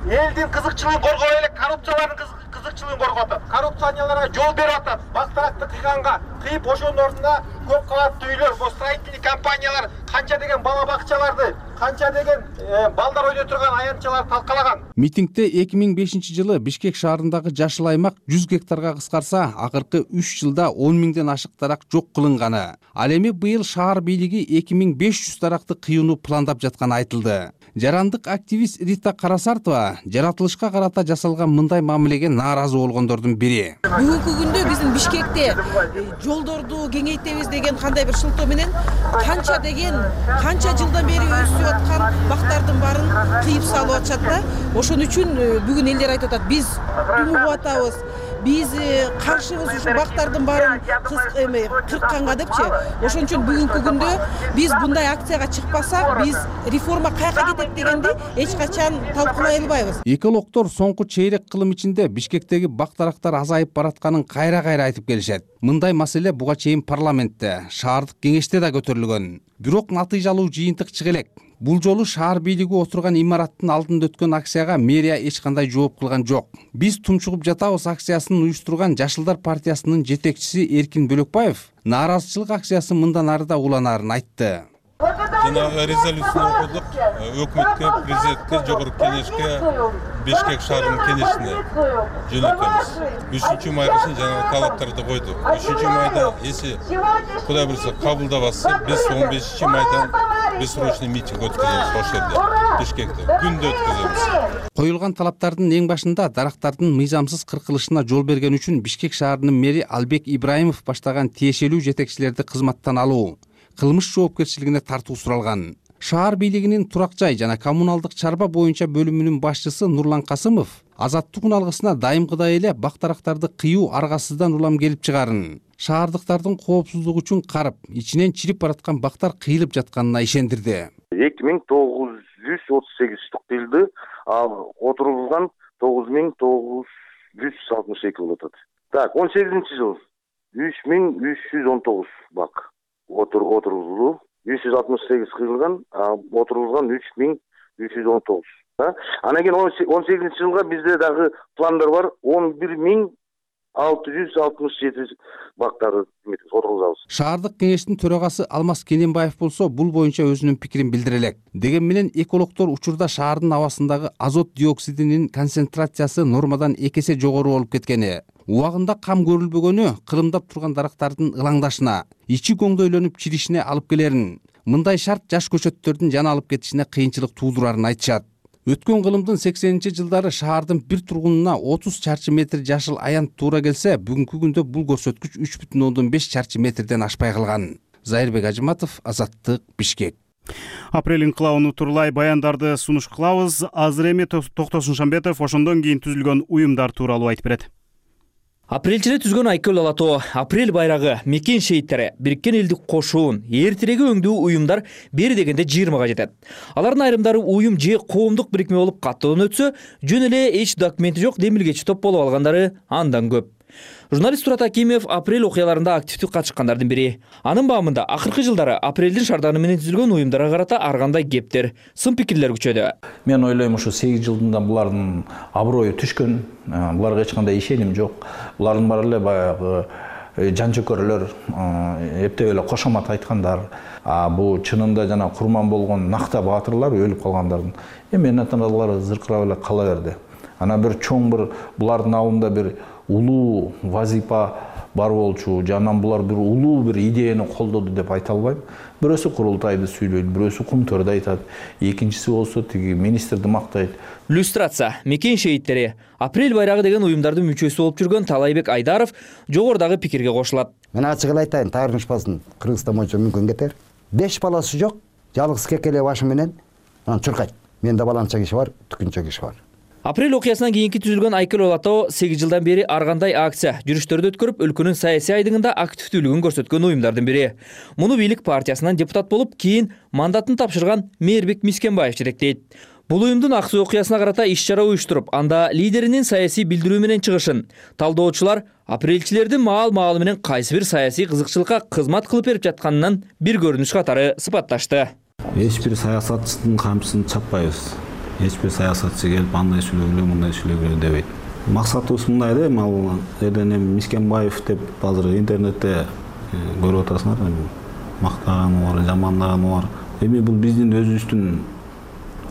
элдин кызыкчылыгын коргой элек коррупциялардын кызыкчылыгын коргоп атат. Коррупционерлерге жол берип атат. Бактаракты кыйганга кыйып ошонун ордуна көп кабаттуу үйлөр, строительный компаниялар канча деген бала бакчаларды, канча деген балдар ойной турган аянтчаларды талкалаган. Митингде эки миң бешинчи жылы Бишкек шаарындагы жашыл аймак жүз гектарга кыскарса, акыркы үч жылда он миңден ашык дарак жок кылынганы. Ал эми быйыл шаар бийлиги эки миң беш жүз даракты кыюуну пландап жатканы айтылды. Жарандык активист Рита Карасартова жаратылышка карата жасалган мындай мамилеге нааразы болгондордун бири. Бүгүнкү күндө биздин Бишкекте жолдорду кеңейтебиз деген кандай бир шылтоо менен канча деген канча жылдан бери өсүп аткан бактардын баарын кыйып салып атышат да. Ошон үчүн бүгүн элдер айтып атат, биз умуп атабыз, биз каршыбыз ушу бактардын баарын кыркканга депчи. Ошон үчүн бүгүнкү күндө биз мындай акцияга чыкпасак, биз реформа каяка кетет дегенди эч качан талкуулай албайбыз. Экологдор соңку чейрек кылым ичинде Бишкектеги бак дарактар азайып баратканын кайра-кайра айтып келишет. Мындай маселе буга чейин парламентте, шаардык кеңеште да көтөрүлгөн. Бирок натыйжалуу жыйынтык чыга элек. Бул жолу шаар бийлиги отурган имараттын алдында өткөн акцияга мэрия эч кандай жооп кылган жок. Биз тунчугуп жатабыз акциясын уюштурган Жашылдар партиясынын жетекчиси Эркин Бөлөкбаев нааразычылык акциясы мындан ары да уланаарын айтты. Жанагы резолюцияны окудук. Өкмөткө, президентке, жогорку кеңешке, Бишкек шаарынын кеңешине жөнөтөбүз. үчүнчү май үчүн жанагы талаптарды койдук. үчүнчү майда эси Кудай буйрса кабылдабаса, биз он бешинчи майдан бессрочный митинг өткөзөбүз ошол жерде, Бишкекте. Күндө өткөзөбүз. Коюлган талаптардын эң башында дарактардын мыйзамсыз кыркылышына жол берген үчүн Бишкек шаарынын мэри Албек Ибраимов баштаган тиешелүү жетекчилерди кызматтан алуу, кылмыш жоопкерчилигине тартуу суралган. Шаар бийлигинин турак жай жана коммуналдык чарба боюнча бөлүмүнүн башчысы Нурлан Касымов азаттык уналгысына дайымкыдай эле бактарактарды кыюу аргасыздан улам келип чыгарын, шаардыктардын коопсуздугу үчүн карып, ичинен чирип бараткан бактар кыйылып жатканына ишендирди. эки миң тогуз жүз отуз сегиз штук кыйылды, ал отурулган тогуз миң тогуз жүз алтымыш эки болуп атат. Так, он сегизинчи жыл үч миң үч жүз он тогуз бак отурулду. жүз алтымыш сегиз кыйылган, отурулган үч миң үч жүз он тогуз. Анан кийин он сегизинчи жылга бизде дагы пландар бар. он бир миң алты жүз алтымыш жети бактарды отургузабыз. Шаардык кеңештин төрагасы Алмаз Кененбаев болсо бул боюнча өзүнүн пикирин билдире элек. Деген менен экологдор учурда шаардын абасындагы азот диоксидинин концентрациясы нормадан эки эсе жогору болуп кеткени, убагында кам көрүлбөгөнү кырымдап турган дарактардын ылаңдашына, ичи көңдөйлөнүп чиришине алып келерин, мындай шарт жаш көчөттөрдүн жана алып кетишине кыйынчылык туудурарын айтышат. Өткөн кылымдын сексенинчи жылдары шаардын бир тургунуна отуз чарчы метр жашыл аянт туура келсе, бүгүнкү күндө бул көрсөткүч үч бүтүн ондон беш чарчы метрден ашпай калган. Зайырбек Ажыматов, Азаттык, Бишкек. Апрель инкылабын тууралай баяндарды сунуш кылабыз. Азыр эми Токтосун Шамбетов ошондон кийин түзүлгөн уюмдар тууралуу айтып берет. Апрелчиде түзгөн Айкөл Алатоо, Апрель байрагы, Мекен шейиттери, Бириккен элдик кошуун, эртиреги өңдүү уюмдар бери дегенде жыйырмага жетет. Алардын айрымдары уюм же коомдук бирикме болуп каттоодон өтсө, жөн эле эч документи жок демилгечи топ болуп алгандары андан көп. Журналист Турат Акимов Апрель окуяларында активдүү катышкандардын бири. Анын баамында акыркы жылдары Апрелдин шарданы менен түзүлгөн уюмдарга карата ар кандай кептер, сын пикирлер күчөдү. Мен ойлойм, ушу сегиз жылдында булардын аброю түшкөн, буларга эч кандай ишеним жок. Булардын баары эле баягы жанчөкөрлөр, эптеп эле кошомат айткандар. А бул чынында жана курман болгон накта баатырлар өлүп калгандардын. Эми энатаналары зыркырап эле кала берди. Ана бир чоң бир булардын алдында бир улуу вазипа бар болчу, жанан булар бир улуу бир идеяны колдоду деп айта албайм. Бирөөсү курултайды сүйлөйт, бирөөсү кумтөрдү айтат, экинчиси болсо тиги министрди мактайт. Иллюстрация, Мекен шейиттери, Апрель байрагы деген уюмдардын мүчөсү болуп жүргөн Талайбек Айдаров жогорудагы пикирге кошулат. Мен ачык эле айтайын, таарынышпасын Кыргызстан боюнча мүмкүн кетер. Беш баласы жок, жалгыз кекеле башы менен анан чуркайт. Менде баланча киши бар, түкүнчө киши бар. Апрель окуясынан кийинки түзүлгөн Айкөл Алатоо сегиз жылдан бери ар кандай акция, жүрүштөрдү өткөрүп, өлкөнүн саясий айдыгында активдүүлүгүн көрсөткөн уюмдардын бири. Муну бийлик партиясынан депутат болуп, кийин мандатын тапшырган Мээрбек Мискенбаев жетектейт. Бул уюмдун ак суу окуясына карата иш-чара уюштуруп, анда лидеринин саясий билдирүү менен чыгышын талдоочулар апрелчилердин маал-маалы менен кайсы бир саясий кызыкчылыкка кызмат кылып берип жатканынан бир көрүнүш катары сыпатташты. Эч бир саясатчынын камчысын чаппайбыз. Эч бир саясатчы келип андай сүйлөгүлө, мындай сүйлөгүлө дебейт. Максатыбыз мындай да, ал элден эми Мискенбаев деп азыр интернетте көрүп атасыңар, мактаганы бар, жамандаганы бар. Эми бул биздин өзүбүздүн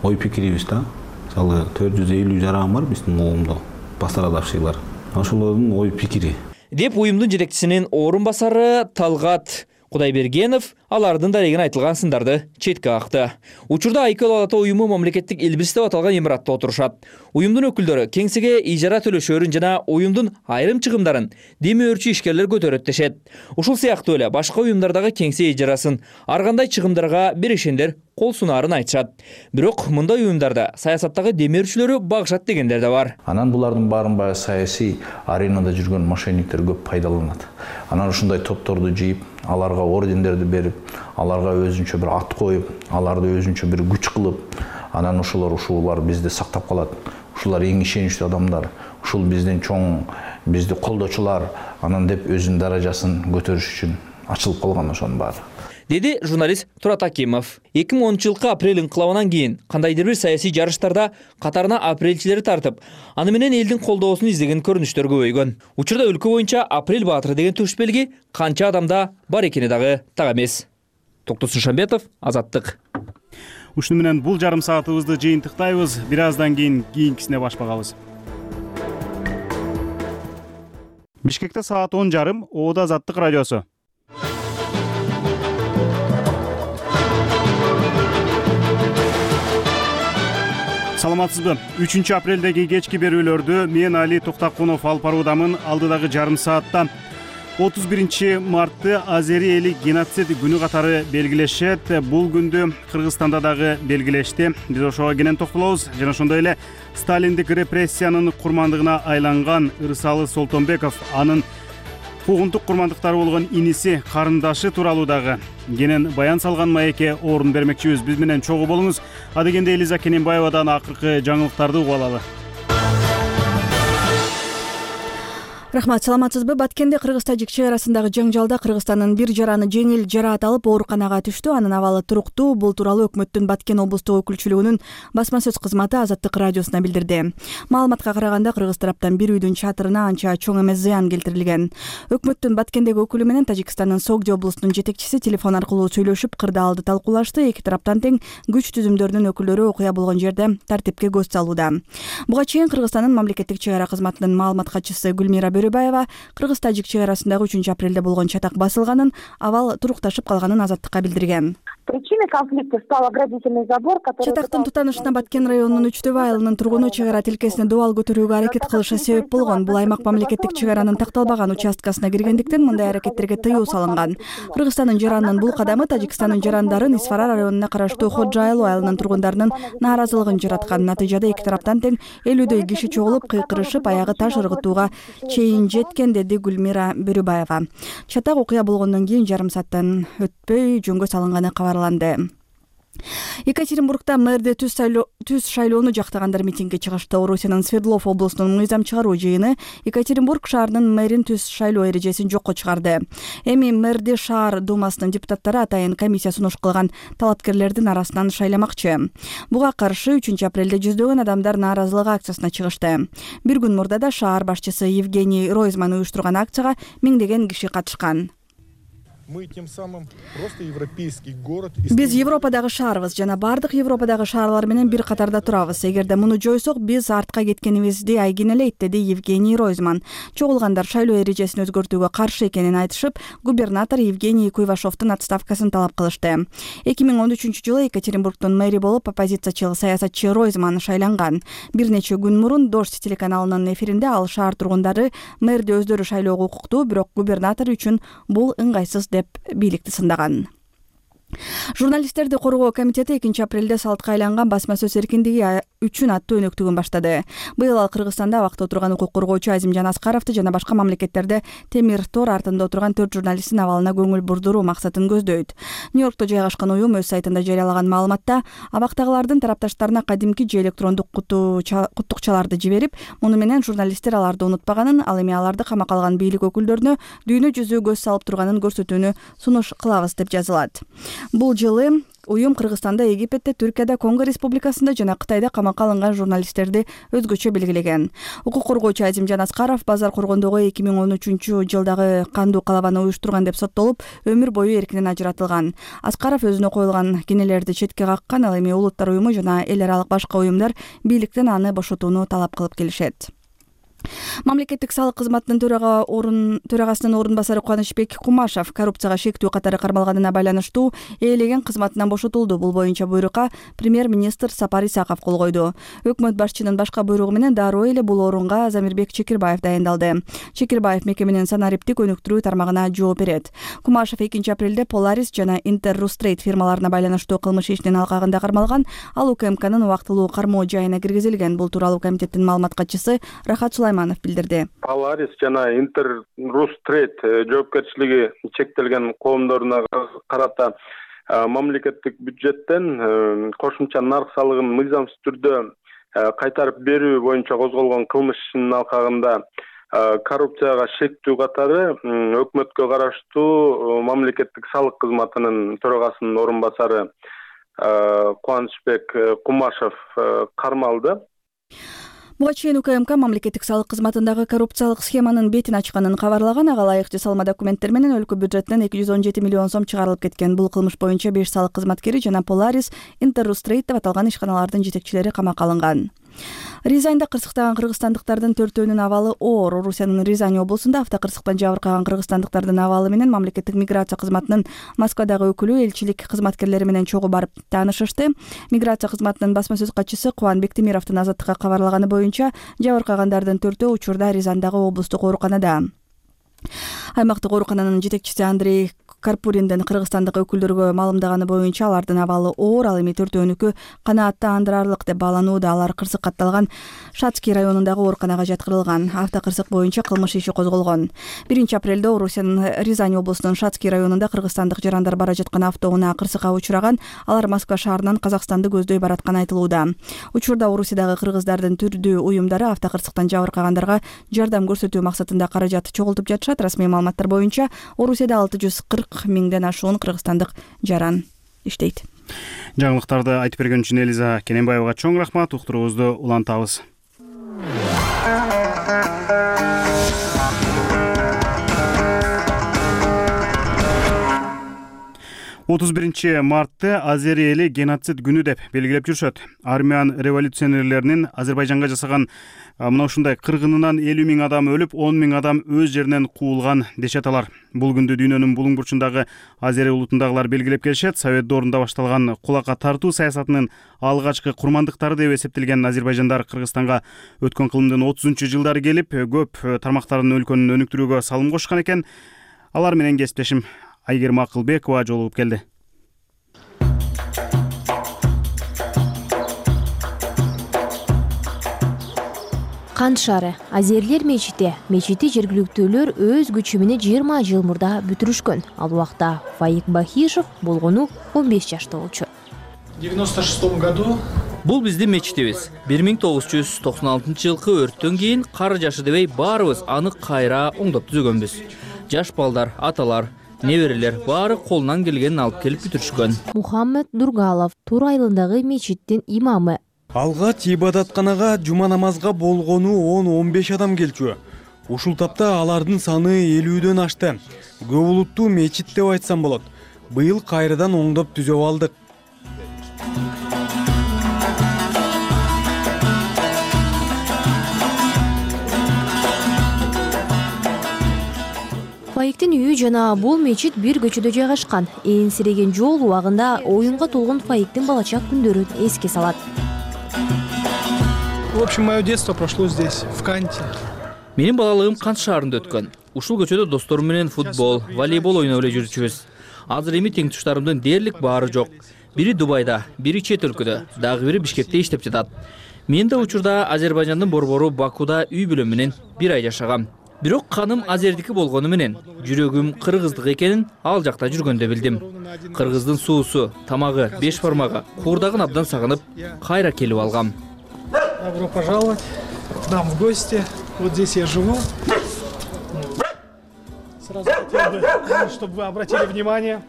ой пикирибиз да. Мисалы төрт жүз элүү жаран бар биздин коомдо, бастарадашчылар. Ошолордун ой пикири. Деп уюмдун жетекчисинин орун басары Талгат Кудайбергенов алардын дарегин айтылган сындарды четке какты. Учурда Айкөл Алатоо уюму мамлекеттик элбирис деп аталган имаратта отурушат. Уюмдун өкүлдөрү кеңсеге ижара төлөшөрүн жана уюмдун айрым чыгымдарын демөөрчү ишкерлер көтөрөт дешет. Ушул сыяктуу эле башка уюмдардагы кеңсе ижарасын ар кандай чыгымдарга беришендер кол сунаарын айтышат. Бирок мындай уюмдарда саясаттагы демөөрчүлөрү багышат дегендер да бар. Анан булардын баарын баягы саясий аренада жүргөн мошенниктер көп пайдаланат. Анан ушундай топторду жыйып, аларга ордендерди берип, аларга өзүнчө бир ат коюп, аларды өзүнчө бир күч кылып, анан ошолор ушулар бизди сактап калат. Ушулар эң ишеничтүү адамдар, ушул биздин чоң, бизди колдочулар, анан деп өзүнүн даражасын көтөрүш үчүн ачылып калган ошонун баары. деди журналист Турат Акимов. эки миң онунчу жылкы апрель инкылабынан кийин кандайдыр бир саясий жарыштарда катарына апрелчилери тартып, аны менен элдин колдоосун издеген көрүнүштөр көбөйгөн. Учурда өлкө боюнча апрель баатыры деген туш белги канча адамда бар экени дагы так эмес. Токтос Шамбетов, Азаттык. Ушуну менен бул жарым саатыбызды жыйынтыктайбыз. Бир аздан кийин кийинкисине башпагабыз. Бишкекте саат он жарым, Оода Азаттык радиосу. Саламатсызбы? үчүнчү апрелдеги кечки берүүлөрдү мен Али Токтакунов алып баруудамын. Алдыдагы жарым саатта отуз биринчи мартты азери эли геноцид күнү катары белгилешет. Бул күндү Кыргызстанда дагы белгилешти. Биз ошого кенен токтолобуз. Жана ошондой эле сталиндик репрессиянын курмандыгына айланган Ырсалы Солтонбеков, анын куугунтук курмандыктары болгон иниси, карындашы тууралуу дагы кенен баян салган маекке орун бермекчибиз. Биз менен чогуу болуңуз. Адегенде Элиза Кененбаевадан акыркы жаңылыктарды угуп алалы. Рахмат, саламатсызбы? Баткенде Кыргыз-Тажик чек арасындагы жаңжалда Кыргызстандын бир жараны жеңил жараат алып ооруканага түштү. Анын абалы туруктуу. Бул тууралуу өкмөттүн Баткен облустук өкүлчүлүгүнүн басма сөз кызматы Азаттык радиосуна билдирди. Маалыматка караганда Кыргыз тараптан бир үйдүн чатырына анча чоң эмес зыян келтирилген. Өкмөттүн Баткендеги өкүлү менен Тажикстандын Согди облусунун жетекчиси телефон аркылуу сүйлөшүп, кырдаалды талкуулашты. Эки тараптан тең күч түзүмдөрүнүн өкүлдөрү окуя болгон жерде тартипке көз салууда. Буга чейин Кыргызстандын мамлекеттик чек ара кызматынын маалымат катчысы Гүлмира Бөрөбаева Кыргыз-Тажик чек арасындагы үчүнчү апрелде болгон чатак басылганын, абал турукташып калганын Азаттыкка билдирген. Причиной конфликта стал оградительный забор, который... Чатактын тутанышына Баткен районунун Үчтөбө айылынын тургуну чек ара тилкесине дубал көтөрүүгө аракет кылышы себеп болгон. Бул аймак мамлекеттик чек аранын такталбаган участкасына киргендиктен мындай аракеттерге тыюу салынган. Кыргызстандын жаранынын бул кадамы Тажикстандын жарандарын Исфара районуна караштуу Ходжа айылы айылынын тургундарынын нааразылыгын жараткан. Натыйжада эки тараптан тең элүүдөй киши чогулуп, кыйкырышып, аягы таш ыргытууга чейин жеткен, деди Гүлмира Бөрөбаева. Чатак окуя болгондон кийин жарым сааттан өтпөй жөнгө салынганы кабарланды. Екатеринбургда мэрди түз шайлоону жактагандар митингге чыгышты. Орусиянын Свердлов облусунун мыйзам чыгаруу жыйыны Екатеринбург шаарынын мэрин түз шайлоо эрежесин жокко чыгарды. Эми мэрди шаар думасынын депутаттары атайын комиссия сунуш кылган талапкерлердин арасынан шайламакчы. Буга каршы үчүнчү апрелде жүздөгөн адамдар нааразылык акциясына чыгышты. Бир күн мурда да шаар башчысы Евгений Ройзман уюштурган акцияга миңдеген киши катышкан. Мы тем самым просто европейский город. Биз Европадагы шаарбыз жана бардык Европадагы шаарлар менен бир катарда турабыз. Эгерде муну жойсок, биз артка кеткенибизди айгинелейт, деди Евгений Ройзман. Чогулгандар шайлоо эрежесин өзгөртүүгө каршы экенин айтышып, губернатор Евгений Куйвашовдун отставкасын талап кылышты. эки миң он үчүнчү жылы Екатеринбургдун мэри болуп оппозициячыл саясатчы Ройзман шайланган. Бир нече күн мурун Дождь телеканалынын эфиринде ал шаар тургундары мэрди өздөрү шайлоого укуктуу, бирок губернатор үчүн бул ыңгайсыз деп бийликти сындаган. Журналисттерди коргоо комитети экинчи апрелде салтка айланган басма сөз эркиндиги үчүн аттуу өнөктүгүн баштады. Быйыл ал Кыргызстанда абакта отурган укук коргоочу Азимжан Аскаровду жана башка мамлекеттерде темир тор артында отурган төрт журналисттин абалына көңүл бурдуруу максатын көздөйт. Нью-Йоркто жайгашкан уюм өз сайтында жарыялаган маалыматта абактагылардын тарапташтарына кадимки же электрондук куттукчаларды жиберип, муну менен журналисттер аларды унутпаганын, ал эми аларды камакка алган бийлик өкүлдөрүнө дүйнө жүзү көз салып турганын көрсөтүүнү сунуш кылабыз деп жазылат. Бул жылы уюм Кыргызстанда, Египетте, Түркияда, Конго республикасында жана Кытайда камакка алынган журналисттерди өзгөчө белгилеген. Укук коргоочу Азимжан Аскаров базар коргондогу эки миң он үчүнчү жылдагы кандуу калабаны уюштурган деп соттолуп, өмүр бою эркинен ажыратылган. Аскаров өзүнө коюлган кенелерди четке каккан, ал эми Улуттар уюму жана эл аралык башка уюмдар бийликтен аны бошотууну талап кылып келишет. Мамлекеттик салык кызматынын төрага орун төрагасынын орун басары Кубанычбек Кумашев коррупцияга шектүү катары кармалганына байланыштуу ээлеген кызматынан бошотулду. Бул боюнча буйрукка премьер-министр Сапар Исаков кол койду. Өкмөт башчынын башка буйругу менен дароо эле бул орунга Замирбек Чекирбаев дайындалды. Чекирбаев мекеменин санариптик өнүктүрүү тармагына жооп берет. Кумашев экинчи апрелде Polaris жана Inter-Rustrade фирмаларына байланыштуу кылмыш ишинин алкагында кармалган. Ал УКМКнын убактылуу кармоо жайына киргизилген. Бул тууралуу комитеттин маалымат катчысы Рахат Сулайманов билдирди. Polaris жана Inter-Rustrade жоопкерчилиги чектелген коомдоруна карата мамлекеттик бюджеттен кошумча нарк салыгын мыйзамсыз түрдө кайтарып берүү боюнча козголгон кылмыш ишинин алкагында коррупцияга шектүү катары өкмөткө караштуу мамлекеттик салык кызматынын төрагасынын орун басары Кубанычбек Кумашев кармалды. Буга чейин УКМК мамлекеттик салык кызматындагы коррупциялык схеманын бетин ачканын кабарлаган. Ага ылайык жасалма документтер менен өлкө бюджетинен эки жүз он жети миллион сом чыгарылып кеткен. Бул кылмыш боюнча беш салык кызматкери жана Polaris, Interrusтрейд деп аталган ишканалардын жетекчилери камакка алынган. Рязаньда кырсыктаган кыргызстандыктардын төртөөнүн абалы оор. Орусиянын Рязань облусунда автокырсыктан жабыркаган кыргызстандыктардын абалы менен мамлекеттик миграция кызматынын Москвадагы өкүлү элчилик кызматкерлери менен чогуу барып таанышышты. Миграция кызматынын басма сөз катчысы Кубан Бектемировдун Азаттыкка кабарлаганы боюнча жабыркагандардын төртөө учурда Рязандагы облустук ооруканада. Аймактык оорукананын жетекчиси Андрей Карпуриндин кыргызстандык өкүлдөргө маалымдаганы боюнча алардын абалы оор, ал эми төртөөнүкү канааттандырарлык деп бааланууда. Алар кырсык катталган Шацкий районундагы ооруканага жаткырылган. Автокырсык боюнча кылмыш иши козголгон. биринчи апрелде Орусиянын Рязань облусунун Шацкий районунда кыргызстандык жарандар бара жаткан автоунаа кырсыкка учураган. Алар Москва шаарынан Казакстанды көздөй баратканы айтылууда. Учурда Орусиядагы кыргыздардын түрдүү уюмдары автокырсыктан жабыркагандарга жардам көрсөтүү максатында каражат чогултуп жатышат. Расмий маалыматтар боюнча Орусияда алты жүз кырк миңден ашуун кыргызстандык жаран иштейт. Жаңылыктарды айтып берген үчүн Элиза Кененбаевага чоң рахмат. Уктуруубузду улантабыз. отуз биринчи мартты Азери эли геноцид күнү деп белгилеп жүрүшөт. Армян революционерлеринин Азербайжанга жасаган мына ушундай кыргынынан элүү миң адам өлүп, он миң адам өз жеринен куулган дешет алар. Бул күндү дүйнөнүн булуң бурчундагы Азери улутундагылар белгилеп келишет. Совет доорунда башталган кулакка тартуу саясатынын алгачкы курмандыктары деп эсептелген азербайжандар Кыргызстанга өткөн кылымдын отузунчу жылдары келип, көп тармактарын өлкөнүн өнүктүрүүгө салым кошкон экен. Алар менен кесиптешим Айгерим Акылбекова жолугуп келди. Кант шаары, Азерлер мечити. Мечити жергиликтүүлөр өз күчү менен жыйырма жыл мурда бүтүрүшкөн. Ал убакта Фаик Бахишев болгону он беш жашта болчу. В девяносто шестом году Бул биздин мечитибиз. бир миң тогуз жүз токсон алтынчы жылкы өрттөн кийин кары жашы дебей баарыбыз аны кайра оңдоп түзөгөнбүз. Жаш балдар, аталар, неберелер баары колунан келгенин алып келип бүтүрүшкөн. Мухаммед Дургалов Тур айылындагы мечиттин имамы. Алгач ибадатканага жума намазга болгону он он беш адам келчү. Ушул тапта алардын саны элүүдөн ашты. Көп улуттуу мечит деп айтсам болот. Быйыл кайрадан оңдоп түзөп алдык. Фаиктин үйү жана бул мечит бир көчөдө жайгашкан. Ээнсиреген жол убагында оюнга толгон Фаиктин балачак күндөрүн эске салат. В общем, мое детство прошло здесь, в Канте. Менин балалыгым Кант шаарында өткөн. Ушул көчөдө досторум менен футбол, волейбол ойноп эле жүрчүбүз. Азыр эми теңтуштарымдын дээрлик баары жок. Бири Дубайда, бири чет өлкөдө, дагы бири Бишкекте иштеп жатат. Мен да учурда Азербайжандын борбору Бакуда үй бүлөм менен бир ай жашагам. Бирок каным азердики болгону менен жүрөгүм кыргыздык экенин ал жакта жүргөндө билдим. Кыргыздын суусу, тамагы, беш бармагы, куурдагын абдан сагынып, кайра келип алгам. Добро пожаловать к нам в гости. Вот здесь я живу. Сразу хотел бы, чтобы вы обратили внимание.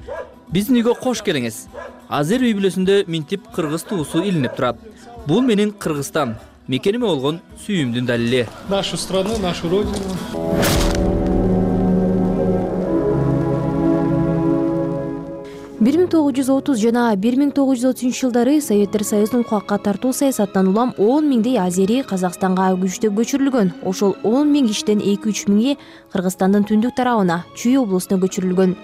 Биздин үйгө кош келиңиз. Азер үй бүлөсүндө минтип кыргыз туусу илинип турат. Бул менин Кыргызстан, мекениме болгон сүйүүмдүн далили. Нашу страну, нашу родину. бир миң тогуз жүз отуз жана бир миң тогуз жүз отузунчу жылдары Советтер Союзунун кулакка тартуу саясатынан улам он миңдей азери Казакстанга күчтөп көчүрүлгөн. Ошол он миң кишиден эки үч миңи Кыргызстандын түндүк тарабына, Чүй облусуна көчүрүлгөн.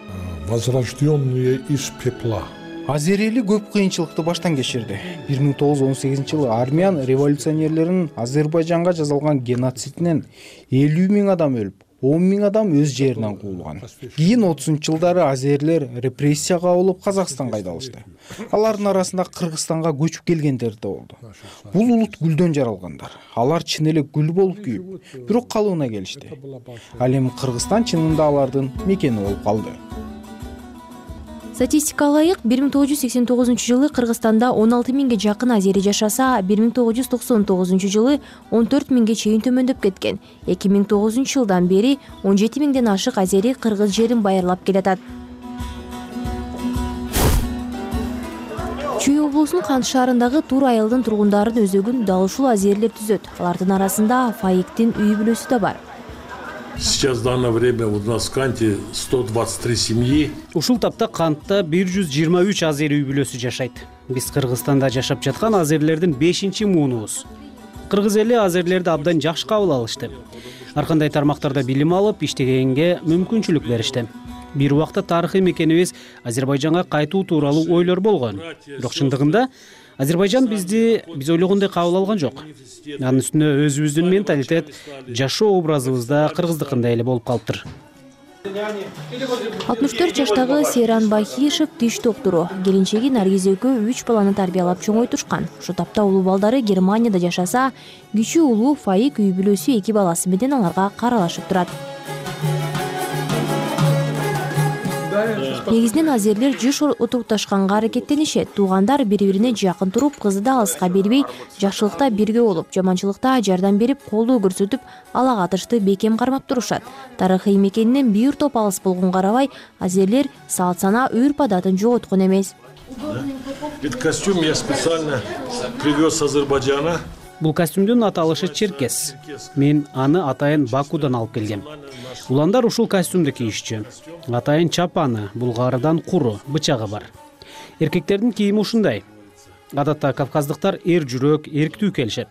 Возрожденные из пепла. Азери эли көп кыйынчылыкты баштан кечирди. бир миң тогуз жүз он сегизинчи жылы армян революционерлеринин Азербайжанга жасалган геноцидинен элүү миң адам өлүп, он миң адам өз жеринен куулган. Кийин отузунчу жылдары азерлер репрессияга алып Казакстанга айдалышты. Алардын арасында Кыргызстанга көчүп келгендер да болду. Бул улут гүлдөн жаралгандар. Алар чын эле гүл болуп күйүп, бирок калыбына келишти. Ал эми Кыргызстан чынында алардын мекени болуп калды. Статистикага ылайык бир миң тогуз жүз сексен тогузунчу жылы Кыргызстанда он алты миңге жакын азери жашаса, бир миң тогуз жүз токсон тогузунчу жылы он төрт миңге чейин төмөндөп кеткен. эки миң тогузунчу жылдан бери он жети миңден ашык азери кыргыз жерин байырлап келатат. Чүй облусунун Кант шаарындагы Тур айылдын тургундарын өзөгүн дал ушул азерлер түзөт. Алардын арасында Фаиктин үй бүлөсү да бар. Сейчас в данное время у нас в Канте сто двадцать три семьи. Ушул тапта Кантта бир жүз жыйырма үч азери үй бүлөсү жашайт. Биз Кыргызстанда жашап жаткан азерлердин бешинчи муунубуз. Кыргыз эли азерлерди абдан жакшы кабыл алышты. Ар кандай тармактарда билим алып, иштегенге мүмкүнчүлүк беришти. Бир убакта тарыхый мекенибиз Азербайжанга кайтуу тууралуу ойлор болгон. Бирок чындыгында Азербайжан бизди биз ойлогондой кабыл алган жок. Анын үстүнө өзүбүздүн менталитет, жашоо образыбызда кыргыздыкындай эле болуп калыптыр. алтымыш төрт жаштагы Сейран Бахишев тиш доктуру. Келинчеги Наргиз экөө үч баланы тарбиялап чоңойтушкан. Ошол тапта улуу балдары Германияда жашаса, кичүү улуу Фаик үй бүлөсү эки баласы менен аларга каралашып турат. Негизинен азерлер жыш утукташканга аракеттенишет. Туугандар бири-бирине жакын туруп, кызды да алыска бербей, жакшылыкта бирге болуп, жаманчылыкта жардам берип, колдоо көрсөтүп, ала катышты бекем кармап турушат. Тарыхый мекенинен бир топ алыс болгонго карабай, азерлер салт сана, үрп адатын жоготкон эмес. Этот костюм я специально привез с Азербайджана. Бул костюмдун аталышы черкес. Мен аны атайын Бакудан алып келгем. Уландар ушул костюмду кийишчү. Атайын чапаны, булгарыдан куру, бычагы бар. Эркектердин кийими ушундай. Адатта кавказдыктар эр жүрөк, эрктүү келишет.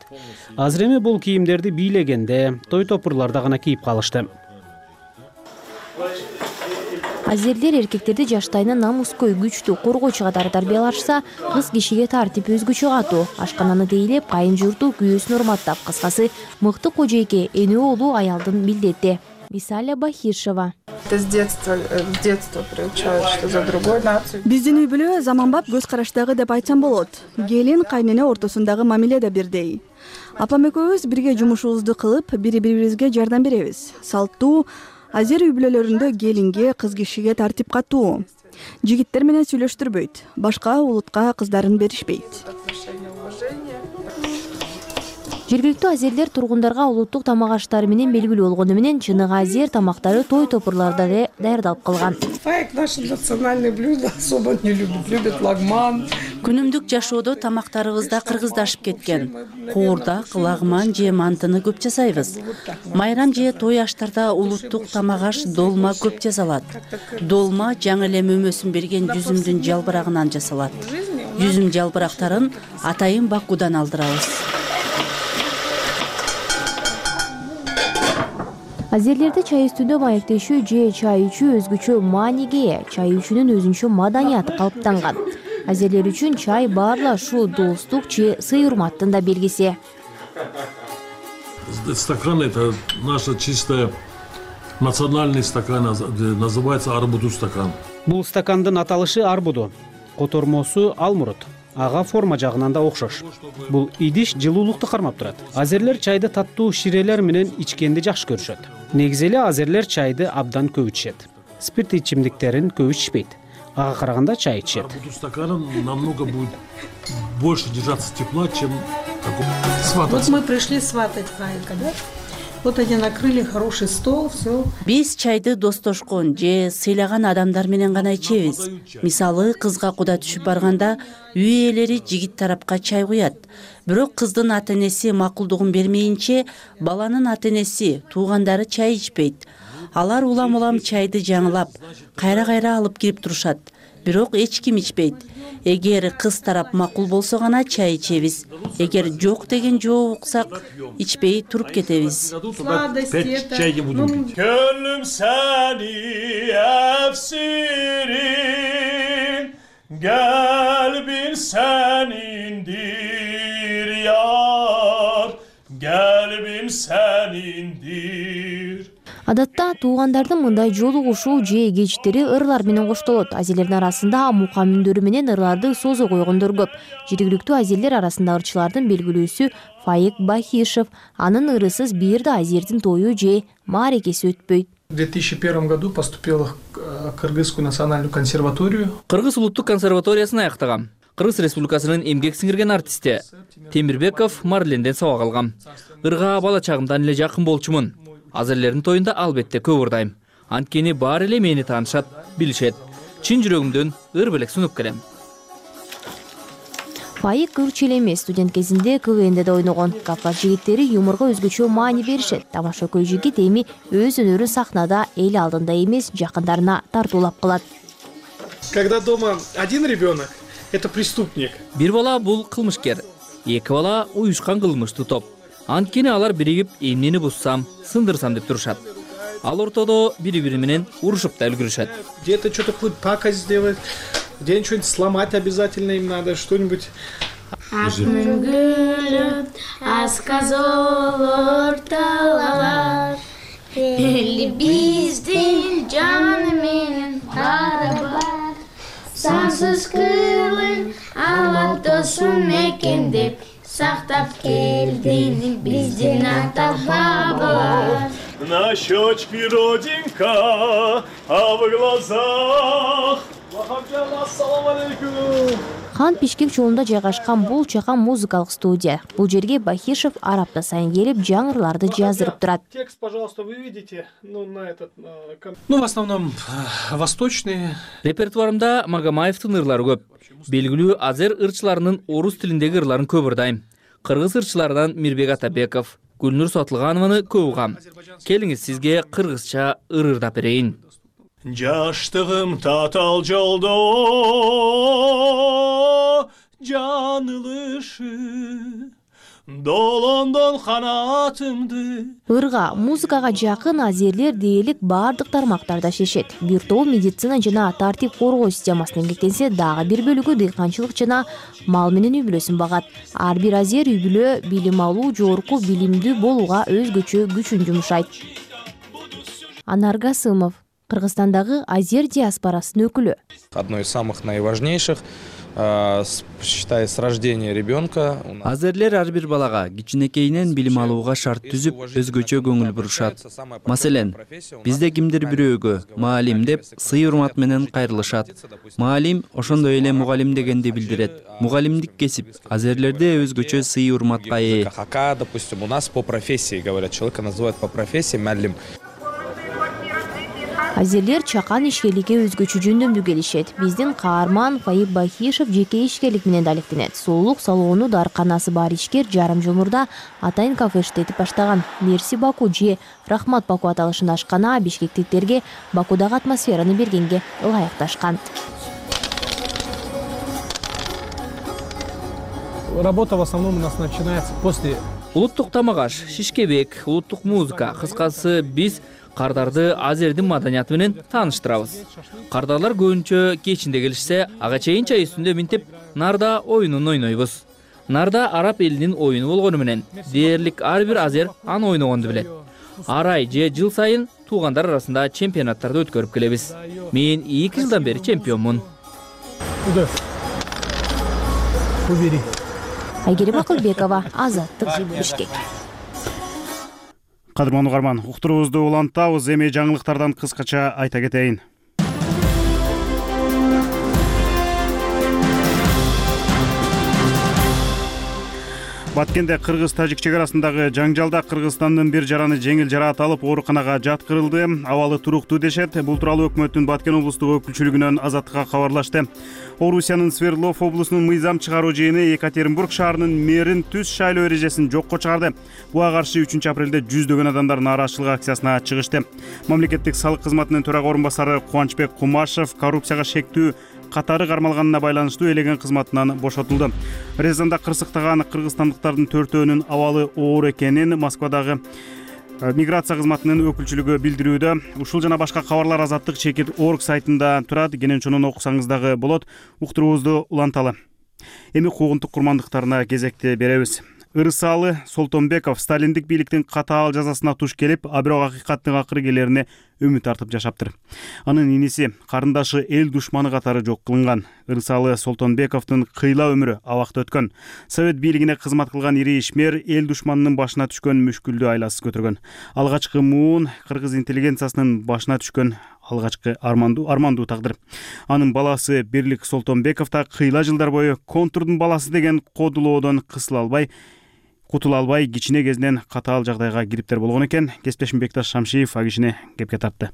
Азыр эми бул кийимдерди бийлегенде, той топурларда гана кийип калышты. Азерлер эркектерди жаштайынан намускөй, күчтүү, коргоочу катары тарбиялашса, кыз кишиге тартип, өзгөчө катуу, ашкананы тейлеп, кайын журту күйөөсүн урматтап, кыскасы мыкты кожойке, энө улуу аялдын милдети. Висаля Бахишева. Биздин үй бүлө заманбап көз караштагы деп айтсам болот. Келин кайнене ортосундагы мамиле да бирдей. Апам экөөбүз бирге жумушубузду кылып, бири-бирибизге жардам беребиз. Салттуу азер үй бүлөлөрүндө келинге, кыз кишиге тартип катуу. Жигиттер менен сүйлөштүрбөйт. Башка улутка кыздарын беришпейт. Жергиликтүү азерлер тургундарга улуттук тамак аштары менен белгилүү болгону менен чыныгы азер тамактары той топурларда да даярдалып калган. Фаик наше национальное блюдо особо не любит, любит лагман. Күнүмдүк жашоодо тамактарыбызда кыргыздашып кеткен. Коордак, лагман же мантыны көп жасайбыз. Майрам же той аштарда улуттук тамак аш долма көп жасалат. Долма жаңы эле мөмөсүн берген жүзүмдүн жалбырагынан жасалат. Жүзүм жалбырактарын атайын Бакудан алдырабыз. Азерлерде чай үстүндө маектешүү же чай ичүү өзгөчө мааниге ээ. Чай ичүүнүн өзүнчө маданияты калыптанган. Азерлер үчүн чай баарла ушул достук же сый урматтын да белгиси. Стакан это наша чистая национальный стакан, называется арбуду стакан. Бул стакандын аталышы арбуду, котормосу алмурут. Ага форма жагынан да окшош. Бул идиш жылуулукту кармап турат. Азерлер чайды таттуу ширелер менен ичкенди жакшы көрүшөт. Негизи эле азерлер чайды абдан көп ичишет. Спирт ичимдиктерин көп ичишпейт. Ага караганда чай ичишет. Арбуду стаканом намного будет больше держаться тепла, чем свататься. Вот мы пришли сватать Фаика, да? Вот они накрыли хороший стол, все. Биз чайды достошкон же сыйлаган адамдар менен гана ичебиз. Мисалы, кызга куда түшүп барганда үй ээлери жигит тарапка чай куят. Бирок кыздын ата-энеси макулдугун бермейинче, баланын ата-энеси, туугандары чай ичпейт. Алар улам-улам чайды жаңылап, кайра-кайра алып кирип турушат. Бирок эч ким ичпейт. Эгер кыз тарап макул болсо гана чай ичебиз. Эгер жок деген жооп уксак, ичпей туруп кетебиз. Gönlüm seni efsirin, kalbin senindir yar, kalbin senindir. Адатта туугандардын мындай жолугушуу же кечтери ырлар менен коштолот. Азерлердин арасында мука мүндөрү менен ырларды созо койгондор көп. Жергиликтүү азерлер арасында ырчылардын белгилүүсү Фаик Бахишев. Анын ырысыз бир да азердин тою же маарекеси өтпөйт. В две тысячи первом году поступила в Кыргызскую национальную консерваторию. Кыргыз улуттук консерваториясын аяктагам. Кыргыз Республикасынын эмгек сиңирген артисти Темирбеков Марленден сабак алгам. Ырга бала чагымдан эле жакын болчумун. Азерлердин тоюнда албетте көп ырдайм. Анткени баары эле мени таанышат, билишет. Чын жүрөгүмдөн ыр белек сунуп келем. Фаик Кырчыл эмес, студент кезинде КВНде да ойногон. Кавказ жигиттери юморго өзгөчө маани беришет. Тамашакөй жигит эми өз өнөрүн сахнада эл алдында эмес, жакындарына тартуулап кылат. Когда дома один ребенок, это преступник. Бир бала бул кылмышкер, эки бала уюшкан кылмыштуу топ. Анткени алар биригип эмнени буссам, сындырсам деп турушат. Ал ортодо бири-бири менен урушуп да үлгүрүшөт. Где-то что-то какую-то пакость сделать, где-нибудь что-нибудь сломать обязательно им надо, что-нибудь. Сансыз кылын алат досум экен деп сактап келдин биздин ата бабалар. На щечке родинка, а в глазах. Ассаламу алейкум. Хан Бишкек жолунда жайгашкан бул чакан музыкалык студия. Бул жерге Бахишев ар апта сайын келип жаңырларды жаздырып турат. Текст, пожалуйста, вы видите, ну на этот, ну в основном восточные. Репертуарымда Магомаевдин ырлары көп. Белгилүү азер ырчыларынын орус тилиндеги ырларын көп ырдайм. Кыргыз ырчыларынан Мирбек Атабеков, Гүлнур Сотулганованы көп угам. Келиңиз сизге кыргызча ыр ырдап берейин. Жаштыгым татал жолдо жаңылышы долондон канатымды. Ырга, музыкага жакын азерлер дээрлик бардык тармактарда шешет. Бир топ медицина жана тартип коргоо системасына эмгектенсе, дагы бир бөлүгү дыйканчылык жана мал менен үй бүлөсүн багат. Ар бир азер үй бүлө билим алуу, жогорку билимдүү болууга өзгөчө күчүн жумшайт. Анар Гасымов, Кыргызстандагы азер диаспорасынын өкүлү. Одно из самых наиважнейших, считай, с рождения ребенка. Азерлер ар бир балага кичинекейинен билим алууга шарт түзүп, өзгөчө көңүл бурушат. Маселен, бизде кимдир бирөөгө маалим деп сый урмат менен кайрылышат. Маалим ошондой эле мугалим дегенди билдирет. Мугалимдик кесип азерлерде өзгөчө сый урматка ээ. Хака, допустим, у нас по профессии говорят, человека называют по профессии муалим. Азерлер чакан ишкерликке өзгөчө жөндөмдүү келишет. Биздин каарман Фаип Бахишев жеке ишкерлик менен алектенет. Сулуулук салону дарканасы бар ишкер жарым жумурда атайын кафе иштетип баштаган. Мерси Баку же Рахмат Баку аталышында ашкана бишкектиктерге Бакудагы атмосфераны бергенге ылайыкташкан. Работа в основном у нас начинается после. Улуттук тамак аш, шишкебек, улуттук музыка, кыскасы биз кардарды азердин маданияты менен тааныштырабыз. Кардарлар көбүнчө кечинде келишсе, ага чейин чай үстүндө минтип нарда оюнун ойнойбуз. Нарда араб элинин оюну болгону менен дээрлик ар бир азер аны ойногонду билет. Ар ай же жыл сайын туугандар арасында чемпионаттарды өткөрүп келебиз. Мен эки жылдан бери чемпионмун. Айгерим Акылбекова, Азаттык, Бишкек. Кадырман угарман, уктуруубузду улантабыз, эми жаңылыктардан кыскача айта кетейин. Баткенде кыргыз-тажик чек арасындагы жаңжалда Кыргызстандын бир жараны жеңил жараат алып ооруканага жаткырылды. Абалы туруктуу дешет. Бул тууралуу өкмөттүн Баткен облустук өкүлчүлүгүнөн Азаттыкка кабарлашты. Орусиянын Свердлов облусунун мыйзам чыгаруу жыйыны Екатеринбург шаарынын мэрин түз шайлоо эрежесин жокко чыгарды. Буга каршы үчүнчү апрелде жүздөгөн адамдар нааразычылык акциясына чыгышты. Мамлекеттик салык кызматынын төрага орун басары Кубанычбек Кумашев коррупцияга шектүү катары кармалганына байланыштуу элеген кызматынан бошотулду. Резонда кырсыктаган кыргызстандыктардын төртөөнүн абалы оор экенин Москвадагы миграция кызматынын өкүлчүлүгү билдирүүдө. Ушул жана башка кабарлар Азаттык чекит точка орг сайтында турат. Кенен окусаңыз дагы болот. Уктуруубузду уланталы. Эми куугунтук курмандыктарына кезекти беребиз. Ырысалы Солтонбеков сталиндик бийликтин катаал жазасына туш келип, а бирок акыйкаттын акыры келерине үмүт артып жашаптыр. Анын иниси, карындашы эл душманы катары жок кылынган. Ырысалы Солтонбековдун кыйла өмүрү абакта өткөн. Совет бийлигине кызмат кылган ири ишмер эл душманынын башына түшкөн мүшкүлдү айласыз көтөргөн. Алгачкы муун кыргыз интеллигенциясынын башына түшкөн алгачкы армандуу армандуу тагдыр. Анын баласы Бирлик Солтонбеков да кыйла жылдар бою контурдун баласы деген кодулоодон кысыла албай, кутула албай, кичине кезинен катаал жагдайга кириптер болгон экен. Кесиптешим Бекташ Шамшиев а кишине кепке тартты.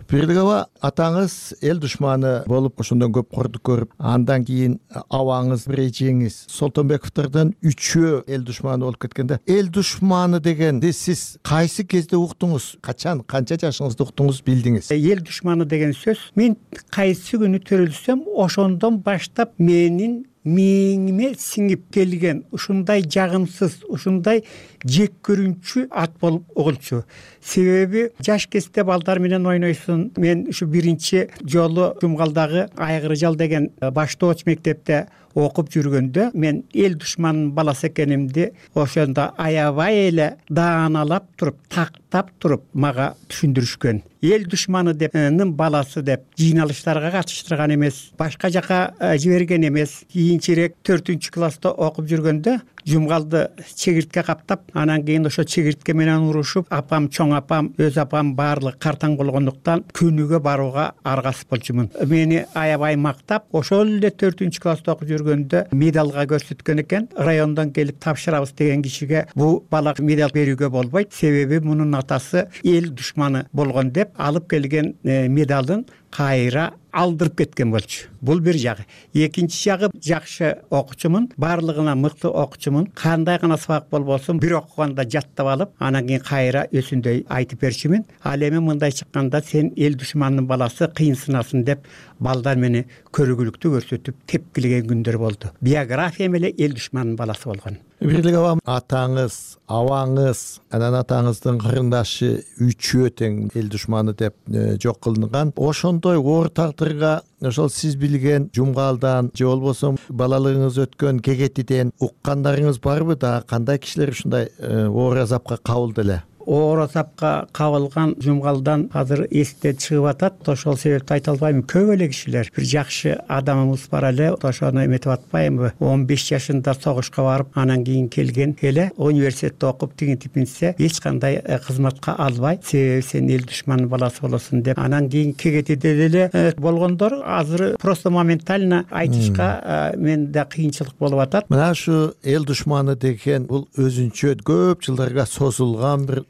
Бирлик аба, атаңыз эл душманы болуп ошондон көп кордук көрүп, андан кийин абаңыз, бир эжеңиз Солтонбековдордон үчөө эл душманы болуп кеткенде, эл душманы дегенди сиз кайсы кезде уктуңуз? Качан, канча жашыңызда уктуңуз, билдиңиз? Эл душманы деген сөз мен кайсы күнү төрөлсөм, ошондон баштап менин мээңиме сиңип келген ушундай жагымсыз, ушундай жек көрүнчү ат болуп угулчу. Себеби жаш кезде балдар менен ойнойсуң. Мен ушу биринчи жолу Жумгалдагы Айгыры жал деген баштооч мектепте окуп жүргөндө мен эл душманынын баласы экенимди ошондо аябай эле дааналап туруп, тактап туруп мага түшүндүрүшкөн. Эл душманы депнин баласы деп жыйналыштарга катыштырган эмес, башка жака жиберген эмес. Кийинчерээк төртүнчү класста окуп жүргөндө Жумгалды чегиртке каптап, анан кийин ошо чегиртке менен урушуп, апам, чоң апам, өз апам баардыгы картаң болгондуктан күнүгө барууга аргасыз болчумун. Мени аябай мактап, ошол эле төртүнчү класста окуп жүргөндө медалга көрсөткөн экен. Райондон келип тапшырабыз деген кишиге бул бала медаль берүүгө болбойт, себеби мунун атасы эл душманы болгон деп алып келген медалын кайра алдырып кеткен болчу. Бул бир жагы. Экинчи жагы, жакшы окуучумун, баардыгына мыкты окуучумун. Кандай гана сабак болбосун, бир окуганда жаттап алып, анан кийин кайра өсүндөй айтып берчүмүн. Ал эми мындай чыкканда сен эл душманынын баласы кыйынсынасың деп балдар мени көрүгүлүктүү көрсөтүп тепкилеген күндөр болду. Биографиям эле эл душманынын баласы болгон. Бирлик аба, атаңыз, абаңыз, анан атаңыздын кырындашы үчөө тең эл душманы деп жок кылынган. Ошондой оор тагдырга ошол сиз билген Жумгалдан же болбосо балалыгыңыз өткөн Кегетиден уккандарыңыз барбы? Да кандай кишилер ушундай оор азапка кабылды эле? Оор азапка кабылган Жумгалдан азыр эсте чыгып атат. Ошол себепти айта албайм. Көп эле кишилер, бир жакшы адамыбыз бар эле, ошону эметип атпаймынбы? он беш жашында согушка барып, анан кийин келген эле университетте окуп тигинтип минсе, эч кандай кызматка албай, себеби сен эл душманынын баласы болосуң деп. Анан кийин Кегетиде деле болгондор азыр просто моментально айтышка менде кыйынчылык болуп атат. Мына ушу эл душманы деген бул өзүнчө көп жылдарга созулган бир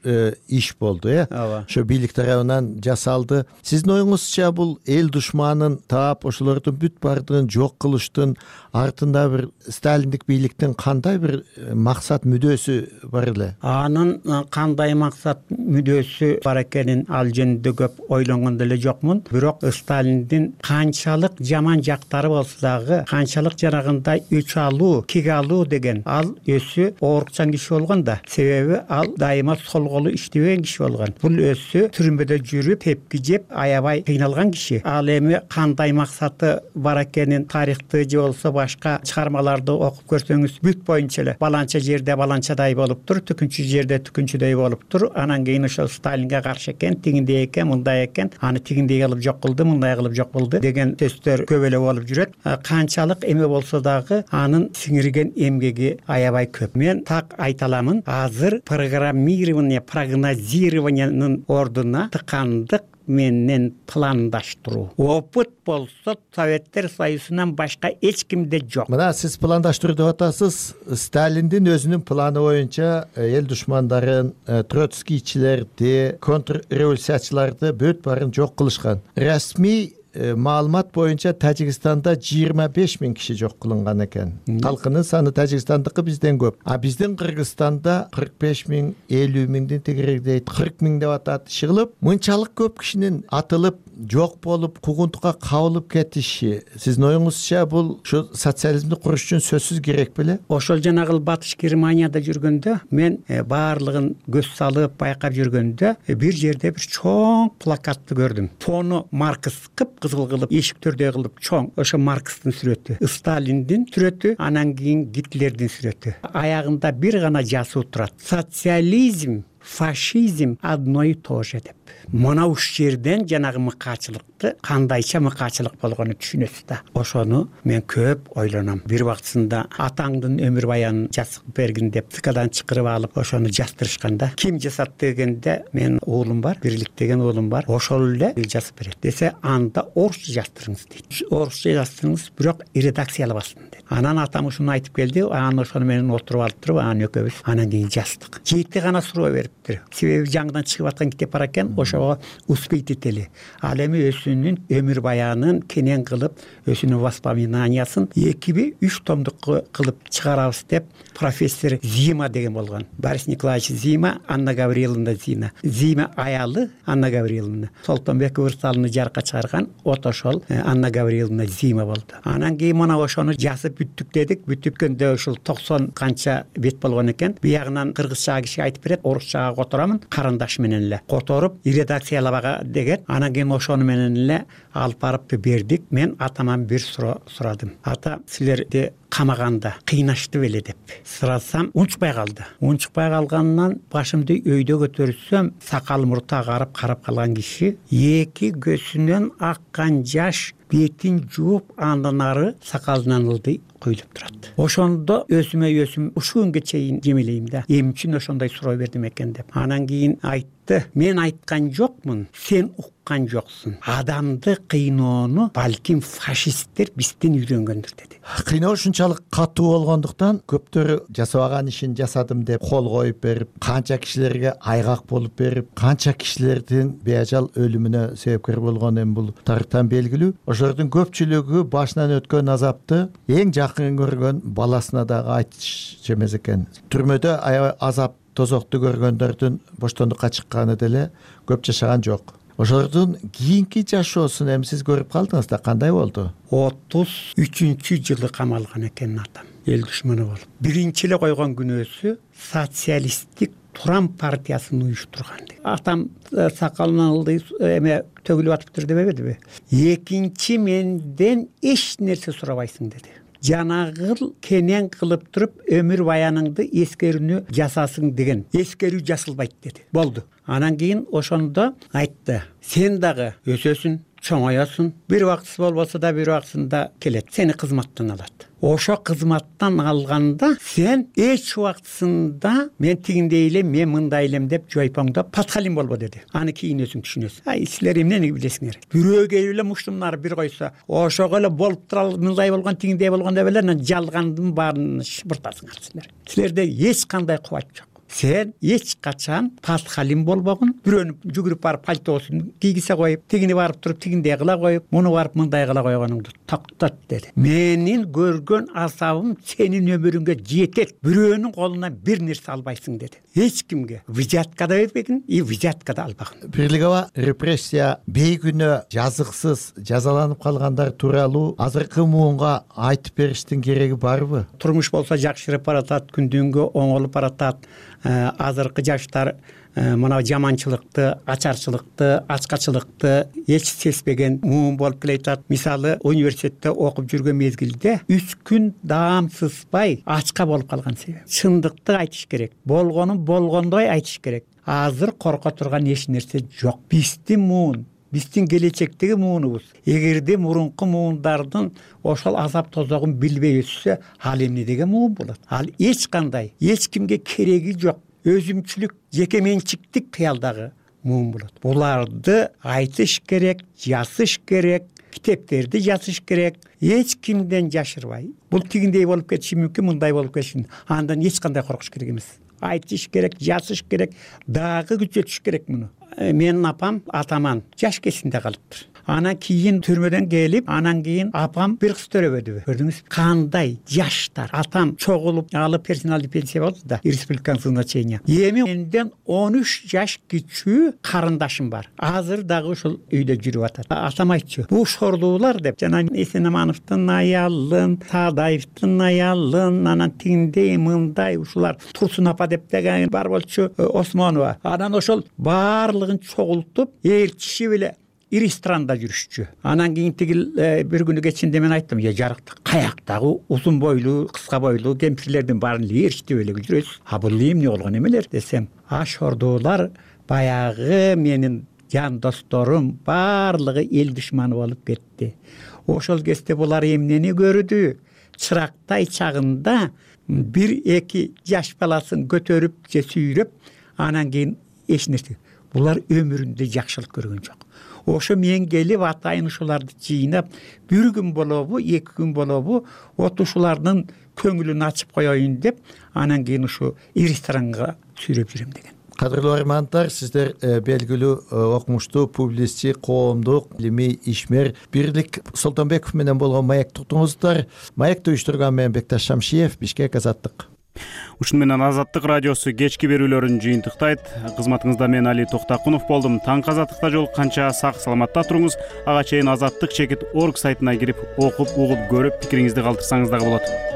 иш болду, э? Ошо бийлик тарабынан жасалды. Сиздин оюңузча бул эл душманын таап, ошолордун бүт баардыгын жок кылыштын артында бир сталиндик бийликтин кандай бир максат мүдөөсү бар эле? Анын кандай максат мүдөөсү бар экенин ал жөнүндө көп ойлонгон деле жокмун. Бирок Сталиндин канчалык жаман жактары болсо дагы, канчалык жанагындай өч алуу, кек алуу деген ал өзү оорукчан киши болгон да. Себеби ал дайыма сол колу иштебеген киши болгон. Бул өзү түрмөдө жүрүп, тепки жеп, аябай кыйналган киши. Ал эми кандай максаты бар экенин тарыхты же болсо башка чыгармаларды окуп көрсөңүз бүт боюнча эле баланча жерде баланчадай болуптур, түкүнчү жерде түкүнчүдөй болуптур. Анан кийин ошол Сталинге каршы экен, тигиндей экен, мындай экен, аны тигиндей кылып жок кылды, мындай кылып жок кылды деген сөздөр көп эле болуп жүрөт. Канчалык эме болсо дагы анын сиңирген эмгеги аябай көп. Мен так айта аламын, азыр программирование, прогнозированиянын ордуна тыкандык менен пландаштыруу. Опыт болсо Советтер Союзунан башка эч кимде жок. Мына сиз пландаштыруу деп атасыз. Сталиндин өзүнүн планы боюнча эл душмандарын, троцкийчилерди, контрреволюциячыларды бүт баарын жок кылышкан. Расмий маалымат боюнча Тажикстанда жыйырма беш миң киши жок кылынган экен. Калкынын саны Тажикстандыкы бизден көп. А биздин Кыргызстанда кырк беш миң, элүү миңдин тегерегидейт, кырк миң деп атат. Чыгылып, мынчалык көп кишинин атылып, жок болуп, куугунтукка кабылып кетиши, сиздин оюңузча бул ушу социализмди куруш үчүн сөзсүз керек беле? Ошол жанагы Батыш Германияда жүргөндө мен баардыгын көз салып байкап жүргөндө бир жерде бир чоң плакатты көрдүм. Фону Маркс, кып кызыл кылып эшиктердей кылып чоң ошо Маркстын сүрөтү, Сталиндин сүрөтү, анан кийин Гитлердин сүрөтү. Аягында бир гана жазуу турат: социализм, фашизм одно и то же деп. Мына уш жерден жанагы мыкаачылыкты кандайча мыкаачылык болгонун түшүнөсүз да. Ошону мен көп ойлоном. Бир убактысында атаңдын өмүр баянын жазып бергин деп ЦКдан чакырып алып ошону жаздырышканда, ким жасат дегенде, мен уулум бар, Бирлик деген уулум бар, ошол эле жазып берет десе, анда орусча жаздырыңыз дейт. Орусча жаздырыңыз, бирок редакциялабасын дейт. Анан атам ушуну айтып келди, анан ошону менен отуруп алып туруп, анан экөөбүз анан кийин жаздык. Жети гана суроо бериптир. Себеби жаңыдан чыгып аткан китеп бар экен, ошого успеть этели. Ал эми өзүнүн өмүр баянын кенен кылып, өзүнүн воспоминаниясын экиби үч томдук кылып чыгарабыз деп профессор Зима деген болгон. Борис Николаевич Зима, Анна Гавриловна Зина. Зима аялы Анна Гавриловна. Солтонбек Ырсалыны жарыкка чыгарган от ошол Анна Гавриловна Зима болду. Анан кийин мына ошону жазып бүттүк дедик. Бүттүккөндө ушул токсон канча бет болгон экен. Биягынан кыргызча киши айтып берет, орусчага которамын, карандаш менен эле которуп редакциялабага деген. Анан кийин ошону менен эле алып барып бердик. Мен атаман бир суроо сурадым. Ата, силерди камаганда кыйнашты беле деп сурасам, унчукпай калды. Унчукпай калганынан башымды өйдө көтөрсөм, сакал мурту агарып карап калган киши эки көзүнөн аккан жаш бетин жууп, андан ары сакалынан ылдый куюлуп турат. Ошондо өзүмө өзүм ушул күнгө чейин жемелейм да. Эмне үчүн ошондой суроо бердим экен деп. Анан кийин айтты: мен айткан жокмун, сен уккан жоксуң. Адамды кыйноону балким фашисттер бизден үйрөнгөндүр деди. Кыйноо ушунчалык катуу болгондуктан көптөрү жасабаган ишин жасадым деп кол коюп берип, канча кишилерге айгак болуп берип, канча кишилердин беажал өлүмүнө себепкер болгон эми бул тарыхтан белгилүү. Ошолордун көпчүлүгү башынан өткөн азапты эң жакын көргөн баласына дагы айтыш эмес экен. Түрмөдө азап тозокту көргөндөрдүн боштондукка чыкканы деле көп жашаган жок. Ошолордун кийинки жашоосун эми сиз көрүп калдыңыз да, кандай болду? отуз үчүнчү жылы камалган экен атам, эл душманы болуп. Биринчи эле койгон күнөөсү социалисттик Туран партиясын уюштурган. Атам сакалынан ылдый эме төгүлүп атыптыр дебебедиби? Экинчи менден эч нерсе сурабайсың деди. Жанагыл кенен кылып туруп өмүр баяныңды эскерүүнү жасасың деген. Эскерүү жасалбайт деди. Болду. Анан кийин ошондо айтты: сен дагы өсөсүң, чоңоёсуң, бир убактысы болбосо да бир убактысында келет, сени кызматтан алат. Ошо кызматтан алганда сен эч убактысында мен тигиндей элем, мен мындай элем деп жойпоңдоп подхалим болбо деди. Аны кийин өзүң түшүнөсүң. Ай, силер эмнени билесиңер? Бирөө келип эле муштумнары бир койсо, ошого эле болуп туралы, мындай болгон, тигиндей болгон деп эле жалгандын баарын шыбыртасыңар силер. Силерде эч кандай кубат жок. Сен эч качан подхалим болбогун, бирөөнү жүгүрүп барып пальтосун кийгизе коюп, тигини барып туруп тигиндей кыла коюп, муну барып мындай кыла койгонуңду токтот деди. Менин көргөн азабым сенин өмүрүңгө жетет. Бирөөнүн колунан бир нерсе албайсың деди. Эч кимге взятка да бербегин, и взятка да албагын. Бирлигаба репрессия бейгүнөө жазыксыз жазаланып калгандар тууралуу азыркы муунга айтып бериштин кереги барбы? Турмуш болсо жакшырып баратат, күндүнгө оңолуп баратат. Азыркы жаштар мына жаманчылыкты, ачарчылыкты, ачкачылыкты эч сезбеген муун болуп келатат. Мисалы, университетте окуп жүргөн мезгилде үч күн даам сызбай ачка болуп калган себеп. Чындыкты айтыш керек. Болгонун болгондой айтыш керек. Азыр корко турган эч нерсе жок. Биздин муун, биздин келечектеги муунубуз. Эгерде мурунку муундардын ошол азап тозогун билбей өтсө, ал эмне деген муун болот? Ал эч кандай, эч кимге кереги жок, өзүмчүлүк, жеке менчиктик кыялдагы муун болот. Буларды айтыш керек, жазыш керек, китептерди жазыш керек, эч кимден жашырбай. Бул тигиндей болуп кетиши мүмкүн, мындай болуп кетиши. Андан эч кандай коркуш керек эмес. Айтыш керек, жазыш керек, дагы күчөтүш керек муну. Менин апам атаман жаш кезинде калыптыр. Анан кийин түрмөдөн келип, анан кийин апам бир кыз төрөбөдүбү? Көрдүңүз, кандай жаштар. Атам чогулуп алып персоналдык пенсия болду да, республиканское значение. Эми менден он үч жаш кичүү карындашым бар. Азыр дагы ушул үйдө жүрүп атат. Атам айтчу: бул шорлуулар деп, жана Эсенамановдун аялын, Саадаевдин аялын, анан тиндей, мындай, ушулар Турсун апа деп деген бар болчу, Осмонова. Анан ошол баарлыгын чогултуп, элчиши беле ресторанда жүрүшчү. Анан кийин тиги бир күнү кечинде мен айттым, е жарыктык, каяктагы узун бойлуу, кыска бойлуу кемпирлердин баарын эле ээрчитип эле жүрөсүз. А бул эмне болгон эмелер десем, а шордоолар баягы менин жан досторум баардыгы эл душманы болуп кетти. Ошол кезде булар эмнени көрдү? Чырактай чагында бир эки жаш баласын көтөрүп же сүйрөп, анан кийин эч нерсе. Булар өмүрүндө жакшылык көргөн жок. Ошо мен келип атайын ушуларды жыйнап, бир күн болобу, эки күн болобу, от ушулардын көңүлүн ачып коеюн деп, анан кийин ушу ресторанга сүйрөп жүрөм деген. Кадырлуу армандар, сиздер белгилүү окумуштуу публицист, коомдук илимий ишмер Бирлик Солтонбеков менен болгон маекти уктуңуздар. Маекти уюштурган мен Бекташ Шамшиев, Бишкек, Азаттык. Ушуну менен Азаттык радиосу кечки берүүлөрүн жыйынтыктайт. Кызматыңызда мен Али Токтакунов болдум. Таңкы Азаттыкта жолукканча сак саламатта туруңуз. Ага чейин азаттык чекит орг сайтына кирип, окуп, угуп, көрүп, пикириңизди калтырсаңыз дагы болот.